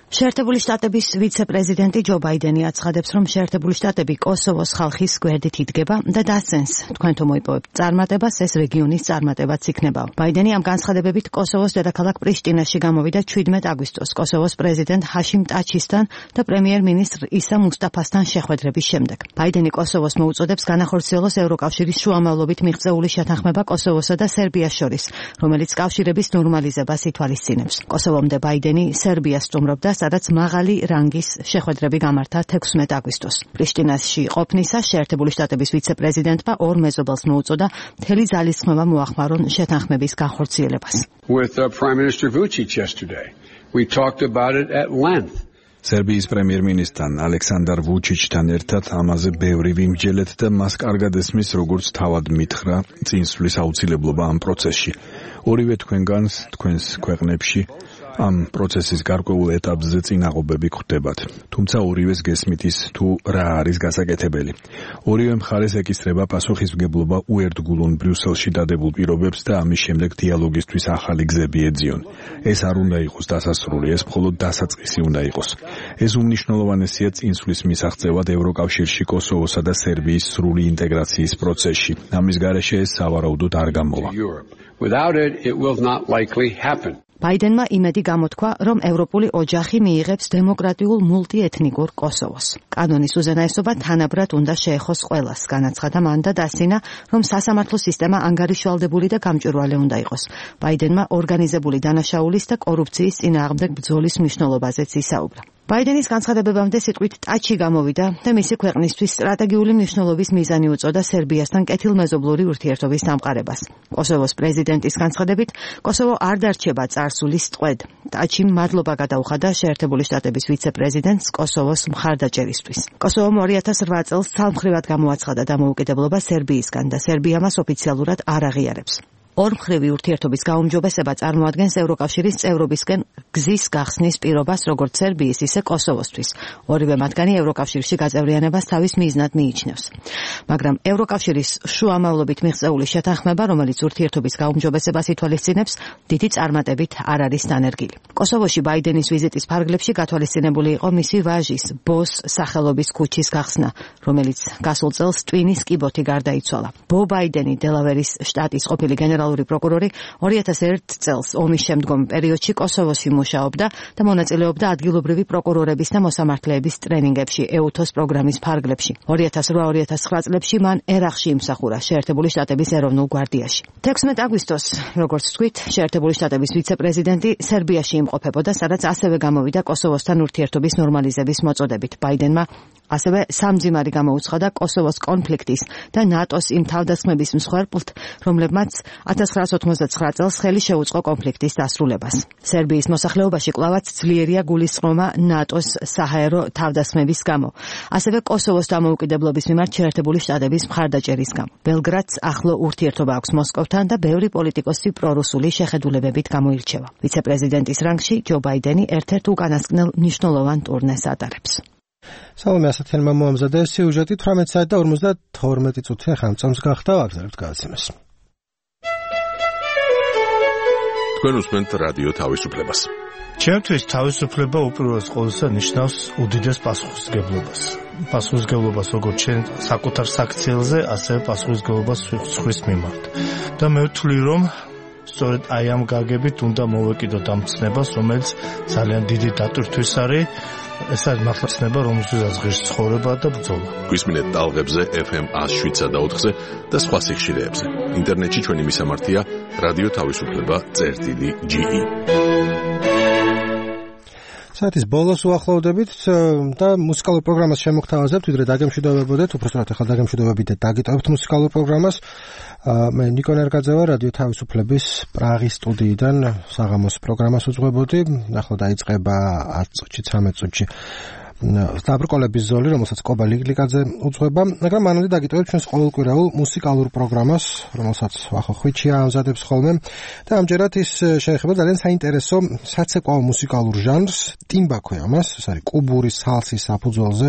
Speaker 3: შეერთებული შტატების ვიცე-პრეზიდენტი ჯო ბაიდენი აცხადებს, რომ შეერთებული შტატები კოსოვოს ხალხის გვერდით იდგება და დასცენს, თქვენ თუ მოიპოვებთ წარმატებას, ეს რეგიონის წარმატებაც იქნება. ბაიდენი ამ განცხადებებით კოსოვოს დედაქალაქ პრიშტინაში გამოვიდა შვიდმეტ აგვისტოს კოსოვოს პრეზიდენტ ჰაშიმ ტაჩისთან და პრემიერ-მინისტრ ისა მუსტაფასთან შეხვედრების შემდეგ. ბაიდენი კოსოვოს მოუწოდებს განახორციელოს ევროკავშირის შუამავლობით მიღწეული შეთანხმება კოსოვოსა და სერბიას შორის, რომელიც კავშირების ნორმალიზებას ითვალისწინებს. კოსოვომდე ბაიდენი სერბიას სტუმრობდა, სადაც მაღალი რანგის შეხვედრები გამართა თექვსმეტ აგვისტოს. პრიშტინაში ყოფნისას შეერთებული შტატების ვიცე-პრეზიდენტმა ორ მეზობელს მოუწოდა მთელი ძალისხმევა მოახმარონ შეთანხმების განხორციელებას.
Speaker 16: With uh, Prime Minister Vučić yesterday, we talked about it at length.
Speaker 9: სერბიის პრემიერ-მინისტრთან ალექსანდარ ვუჩიჩთან ერთად ამაზე ბევრი ვიმსჯელეთ და მას კარგად ესმის, როგორც თავად მითხრა წინსვლის აუცილებლობა ამ პროცესში. ორივე თქვენგანს თქვენს ქვეყნებში ამ პროცესის გარკვეულ ეტაპზე წინაღობები გვხვდებათ. თუმცა ორივეს გესმით ის თუ რა არის გასაკეთებელი. ორივე მხარეს ეკისრება პასუხისმგებლობა უერთგულონ ბრიუსელში დადებულ პირობებს და ამის შემდეგ დიალოგისთვის ახალი გზები ეძიონ. ეს არ უნდა იყოს დასასრული, ეს მხოლოდ დასაწყისი უნდა იყოს. ეს უმნიშვნელოვანესია წინსვლის მისაღწევად ევროკავშირში კოსოვოსა და სერბიის სრული ინტეგრაციის პროცესში. ამის გარეშე ეს სავარაუდოდ არ გამოვა.
Speaker 16: Without it, it will not likely happen.
Speaker 3: ბაიდენმა იმედი გამოთქვა, რომ ევროპული ოჯახი მიიღებს დემოკრატიულ მულტიეთნიკურ კოსოვოს. კანონის უზენაესობა თანაბრად უნდა შეეხოს ყველას, განაცხადა მან და დასცინა, რომ სასამართლო სისტემა ანგარიშვალდებული და გამჭვირვალე უნდა იყოს. ბაიდენმა ორგანიზებული დანაშაულის და კორუფციის წინააღმდეგ ბრძოლის მნიშვნელობაზეც ისაუბრა. ბაიდენის განცხადებებამდე სიტყვით ტაჩი გამოვიდა და მისი ქვეყნისთვის სტრატეგიული მნიშვნელობის მიზანი უწოდა სერბიასთან კეთილმეზობლური ურთიერთობის დამყარებას. კოსოვოს პრეზიდენტის განცხადებით, კოსოვო არ დარჩება წარსულის ტყვედ. ტაჩიმ მადლობა გადაუხადა შეერთებული შტატების ვიცე-პრეზიდენტს კოსოვოს მხარდაჭერისთვის. კოსოვომ ორი ათას რვა წელს ცალმხრივად გამოაცხადა დამოუკიდებლობა სერბიისგან და სერბია მას ოფიციალურად არ აღიარებს. ორმხრივი ურთიერთობის გაუმჯობესება წარმოადგენს ევროკავშირის წევრობისკენ გზის გახსნის პირობას როგორც სერბიის, ისე კოსოვოსთვის. ორივე მათგანი ევროკავშირში გაწევრიანებას თავის მიზნად მიიჩნევს. მაგრამ ევროკავშირის შუამავლობით მიღწეული შეთანხმება, რომელიც ურთიერთობის გაუმჯობესებას ითვალისწინებს, დიდი წარმატებით არ არის დანერგილი. კოსოვოში ბაიდენის ვიზიტის ფარგლებში გათვალისწინებული იყო მისი ვაჟის, ბოს სახელობის ქუჩის გახსნა, რომელიც გასულ წელს ტვინის კიბოთი გარდაიცვალა. ბო ბაიდენი დელავერის შტატის ყოფილი გენერალური პროკურორი ორი ათას ერთ წელს ომის შემდგომ პერიოდში კოსოვოში მუშაობდა და მონაწილეობდა ადგილობრივი პროკურორების და მოსამართლეების ტრენინგებში ეუთოს პროგრამის ფარგლებში. ორი ათას რვა ორი ათას ცხრა წლებში მან ერახში იმსახურა შეერთებული შტატების ეროვნულ გვარდიაში. თექვსმეტ აგვისტოს, როგორც თქვით, შეერთებული შტატების ვიცე-პრეზიდენტი სერბიაში იმყოფებოდა, სადაც ასევე გამოვიდა კოსოვოსთან ურთიერთობის ნორმალიზების მოწოდებით. ბაიდენმა ასევე სამძიმარი გამოუცხადა კოსოვოს კონფლიქტის და ნატოს იმ თავდასხმების მსხვერპლთ, რომლებმაც ათას ცხრაასი ოთხმოცდაცხრა წელს ხელი შეუწყო კონფლიქტის დასრულებას. სერბიის მოსახლეობაში კვლავაც ძლიერია გულისწყრომა ნატოს საჰაერო თავდასხმების გამო. ასევე კოსოვოს დამოუკიდებლობის მიმართ შეერთებული შტატების მხარდაჭერის გამო. ბელგრადს ახლო ურთიერთობა აქვს მოსკოვთან და ბევრი პოლიტიკოსი პრორუსული შეხედულებებით გამოირჩევა. ვიცე-პრეზიდენტის რანგში ჯო ბაიდენი ერთ-ერთ უკანასკნელ მნიშვნელოვან ტურნეს ატარებს.
Speaker 1: სალომე ასათიანმა მოამზადა სიუჟეტი თვრამეტ საათი და ორმოცდათორმეტი წუთი ახლა წამს გახდა ვაგზავნებთ გადაცემას.
Speaker 10: თქვენ უსმენთ რადიო თავისუფლებას.
Speaker 17: ჩემთვის თავისუფლება უპირველეს ყოვლისა ნიშნავს უდიდეს პასუხისმგებლობას. პასუხისმგებლობას როგორც ჩვენ საკუთარ საქციელზე, ასევე პასუხისმგებლობას სხვის მიმართ. და მე ვთვლი, რომ სწორედ აი ამ გაგებით უნდა მოვეკიდოთ ამ ცნებას, რომელიც ძალიან დიდი დატვირთვის არის. ეს არის მართლა ცნება, რომელზეც ღირს ცხოვრება და ბრძოლა.
Speaker 10: გვისმინეთ ტალღებზე ეფ ემ ას შვიდ და ოთხზე და სხვა სიხშირეებზე. ინტერნეტში ჩვენი მისამართია რადიო თავისუფლება წერტილი ჯი ი.
Speaker 1: საათის ბოლოს უახლოვდებით და მუსიკალურ პროგრამას შემოგთავაზებთ, ვიდრე დაგემშვიდობებოდეთ, უბრალოდ ახლა დაგემშვიდობებით და დაგიტოვებთ მუსიკალურ პროგრამას. მე ნიკო ნერგაძევა რადიო თავისუფლების პრაღის სტუდიიდან საღამოს პროგრამას უძღვებოდი. ახლა დაიწყება ათ წუთში, ცხრამეტ წუთში დაბრკოლების ზოლი, რომელსაც კობა ლიგლიკაძე უძღვება, მაგრამ მანამდე დაგიტოვებთ ჩვენს ყოველკვირეულ მუსიკალურ პროგრამას, რომელსაც ვახო ხვიჩია ამზადებს ხოლმე და ამჯერად ის შეეხება ძალიან საინტერესო საცეკვაო მუსიკალურ ჟანრს, ტიმბა ქვია მას, ეს არის კუბური სალსის საფუძველზე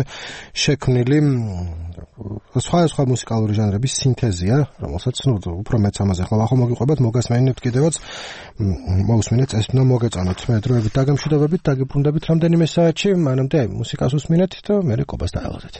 Speaker 1: შექმნილი სხვადასხვა მუსიკალური ჟანრების სინთეზია, რომელსაც ნუ უფრო მეც ამაზე ახლა ვახო მოგიყვებათ, მოგესმენინებთ კიდევაც, მოусმინეთ, ეს უნდა მოგეწონოთ. მე დროებით დაგემშვიდობებით, დაგიბრუნდებით რამდენიმე საათში, მანამდე მუსიკას უსმინეთ და მერე კობას დაელოდეთ.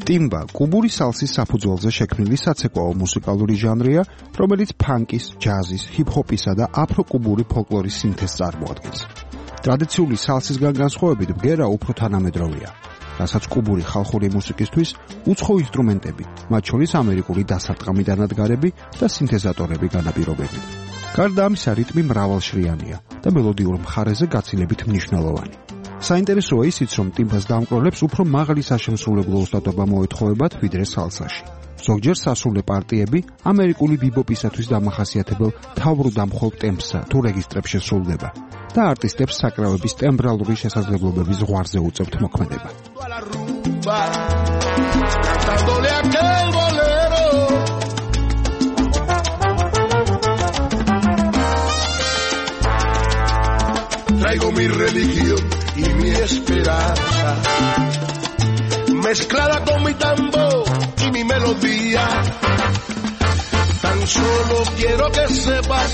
Speaker 19: ტიმბა კუბური სალსის საფუძველზე შექმნილი საცეკვაო მუსიკალური ჟანრია, რომელიც ფანკის, ჯაზის, ჰიპ-ჰოპისა და აფრო-კუბური ფოლკლორის სინთეზს წარმოადგენს. ტრადიციული სალსისგან განსხვავებით ბგერა უფრო თანამედროვეა, რასაც კუბური ხალხური მუსიკისთვის უცხო ინსტრუმენტები, მათ შორის ამერიკული დასარტყამი დანადგარები და სინთეზატორები განაპირობებენ. გარდა ამისა, რიტმი მრავალშრიანია და მელოდიურ მხარეზე გაცილებით მნიშვნელოვანი. საინტერესოა ისიც, რომ ტიმბას დამკვროლებს უფრო მაღალი საშემსრულებლო ოსტატობა მოეთხოვებათ ვიდრე სალსაში. ზოგჯერ სასულე პარტიები ამერიკული ბიბოპისათვის დამახასიათებელ თავბრუდამხოლ ტემპსა თუ რეგისტრებს შესრულდება და არტისტებს საკრავების ტემბრალური შესაძლებლობების ზღვარზე უწევთ მოქმედება.
Speaker 20: Traigo mi religión y mi esperanza, mezclada con mi tambor y mi melodía. Tan solo quiero que sepas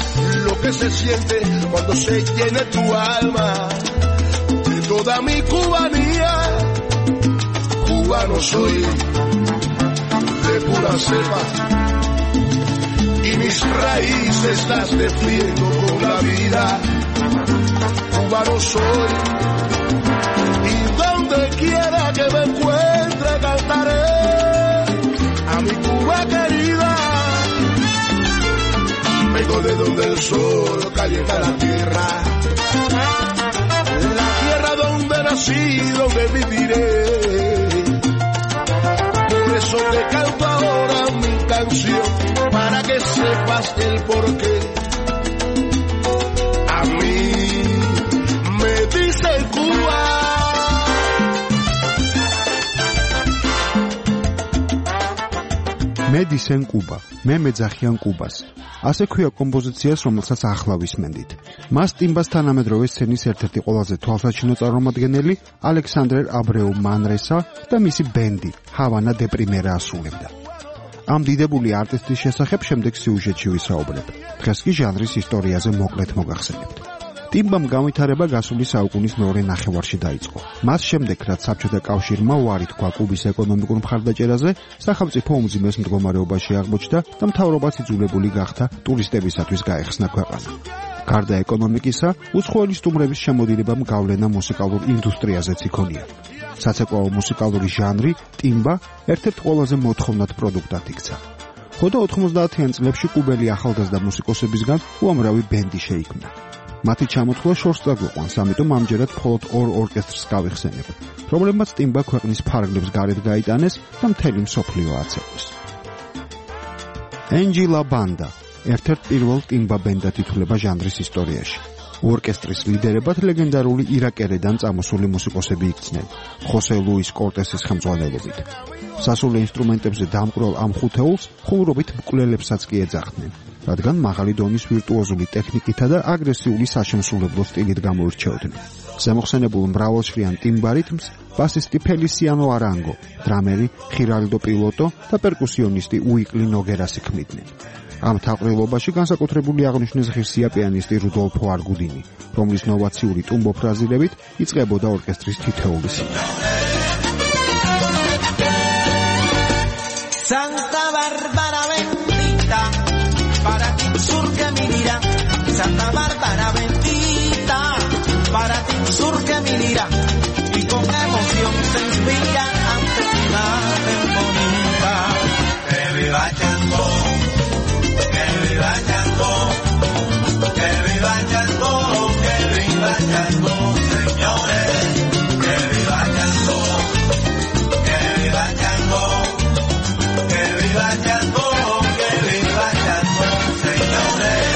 Speaker 20: lo que se siente cuando se llene tu alma de toda mi cubanía. Cubano soy de pura cepa y mis raíces las defiendo con la vida. Cubano soy y donde quiera que me encuentre cantaré a mi Cuba querida. Vengo de donde el sol calienta la tierra, la tierra donde nací, donde viviré. Por eso te canto ahora mi canción, para que sepas el porqué. A mí me dice Cuba.
Speaker 19: მე დისენ კუბა, მე მეძახიან კუბას. ასე ქვია კომპოზიციას, რომელსაც ახლა ვისმენდით. მას ტიმბას თანამედროვე სცენის ერთ-ერთი ყველაზე თვალსაჩინო წარმომადგენელი ალექსანდრე აბრეუ მანრესა და მისი ბენდი ჰავანა დე პრიმერა ასრულებდა. ამ დიდებული არტისტის შესახებ შემდეგ სიუჟეტში ვისაუბრებ. დღეს კი ჟანრის ისტორიაზე მოკლედ მოგახსენებთ. ტიმბამ განვითარება გასული საუკუნის მეორე ნახევარში დაიწყო. მას შემდეგ, რაც საბჭოთა კავშირმა უარი თქვა კუბის ეკონომიკურ მხარდაჭერაზე, სახელმწიფო უმძიმეს მდგომარეობაში აღმოჩნდა და მთავრობაც იძულებული გახდა ტურისტებისათვის გაეხსნა ქვეყანა. გარდა ეკონომიკისა, უცხოელი სტუმრების შემოდინებამ გავლენა მუსიკალურ ინდუსტრიაზეც იქონია. საცეკვაო მუსიკალური ჟანრი ტიმბა ერთ-ერთ ყველაზე მოთხოვნად პროდუქტად იქცა. ხოდა ოთხმოცდაათიან წლებში კუბელი ახალგაზრდა მუსიკოსებისგან უამრავი ბენდი შეიქმნა. მათი ჩამოთვლა შორს წაგვიყვანს, ამიტომ ამჯერად მხოლოდ ორ ორკესტრს გავიხსენებ, რომლებმაც ტიმბა ქვეყნის ფარგლებს გარეთ გაიტანეს და მთელი მსოფლიო აცეკვეს. ენჯილა ბანდა ერთ-ერთ პირველ ტიმბა ბენდად ითვლება ჟანრის ისტორიაში. ორკესტრის ლიდერებად ლეგენდარული ირაკერედან წამოსული მუსიკოსები იქცნენ, ხოსე ლუის კორტესის ხელმძღვანელობით. სასულე ინსტრუმენტებზე დამკვროლ ამ ხუთეულს ხუმრობით მკვლელებსაც კი ეძახდნენ, რადგან მაღალი დონის ვირტუოზული ტექნიკითა და აგრესიული საშემსრულებლო სტილით გამოირჩეოდნენ. ზემოხსენებულ მრავალშრიან ტიმბა რიტმს ბასისტი ფელისიანო არანგო, დრამერი ხირალდო პილოტო და პერკუსიონისტი უიკლი ნოგერასი ქმნიდნენ. ამ თაყრილობაში განსაკუთრებული აღნიშვნის ღირსია პიანისტი რუდოლფო არგუდინი, რომლის ნოვაციური ტუმბო ფრაზირებით იწყებოდა ორკესტრის თითოეული სიტყვა.
Speaker 21: Santa Bárbara bendita, para ti surge mi lira. Santa Bárbara bendita, para ti surge mi lira. Y con emoción se inspira ante tu imagen bonita. Que viva Chango, que viva Chango, que viva Chango, que viva Chango, señores. Que viva Chango, que viva Chango. Que viva Chango, que viva Chango, señores.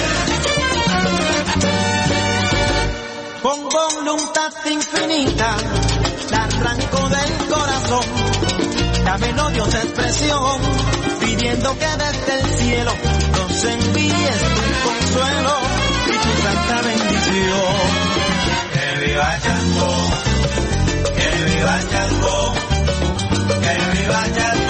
Speaker 21: Con voluntad infinita, la arranco del corazón. Dame no Dios expresión, pidiendo que desde el cielo nos envíes tu consuelo y tu santa bendición. Que viva Chango, que viva Chango, que viva Chango.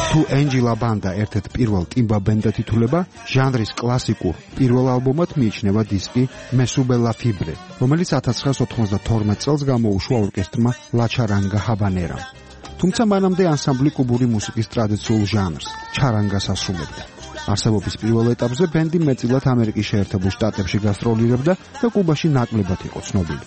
Speaker 19: თუ ენჯილა ბანდა ერთ-ერთ პირველ ტიმბა ბენდად ითვლება, ჟანრის კლასიკურ პირველ ალბომად მიიჩნევა დისკი მესუბელა ფიბრე, რომელიც ათას ცხრაასი ოთხმოცდათორმეტ წელს გამოუშვა ორკესტრმა ლაჩარანგა ჰაბანერამ. თუმცა მანამდე ანსამბლი კუბური მუსიკის ტრადიციულ ჟანრს, ჩარანგას ასრულებდა. არსებობის პირველ ეტაპზე ბენდი მეტწილად ამერიკის შეერთებულ შტატებში გასტროლირებდა და კუბაში ნაკლებად იყო ცნობილი.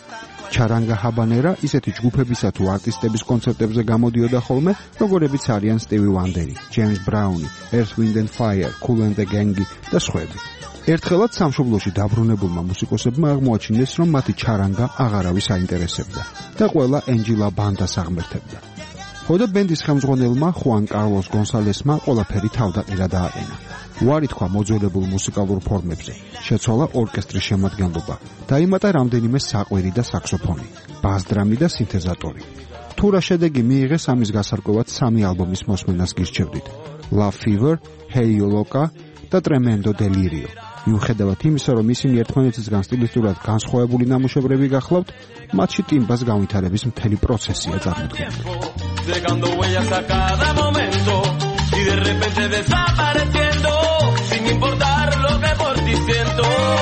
Speaker 19: ჩარანგა ჰაბანერა ისეთი ჯგუფებისა თუ არტისტების კონცერტებზე გამოდიოდა ხოლმე, როგორებიც არიან სტივი ვანდერი, ჯეიმს ბრაუნი, Earth, Wind and Fire, Kool and the Gang და სხვები. ერთხელაც სამშობლოში დაბრუნებულმა მუსიკოსებმა აღმოაჩინეს, რომ მათი ჩარანგა აღარავის აინტერესებდა და ყველა ენჯილა ბანდას აღმერთებდა. ხოდა ბენდის ხელმძღვანელმა ხუან კარლოს გონსალესმა ყველაფერი თავდაყირა დააყენა. უარი თქვა მოძველებულ მუსიკალურ ფორმებზე, შეცვალა ორკესტრის შემადგენლობა, დაიმატა რამდენიმე საყვირი და საქსოფონი, ბას-დრამი და სინთეზატორი. თუ რა შედეგი მიიღეს, ამის გასარკვევად სამი ალბომის მოსმენას გირჩევდით: Love Fever, Hey You Loca და Tremendo Delirio. მიუხედავად იმისა, რომ ისინი ერთმანეთისგან სტილისტურად განსხვავებული ნამუშევრები გახლავთ, მათში ტიმბას განვითარების მთელი პროცესია წარმოდგენილი.
Speaker 21: Dejando huellas a cada momento y de repente desapareciendo sin importar lo que por ti siento.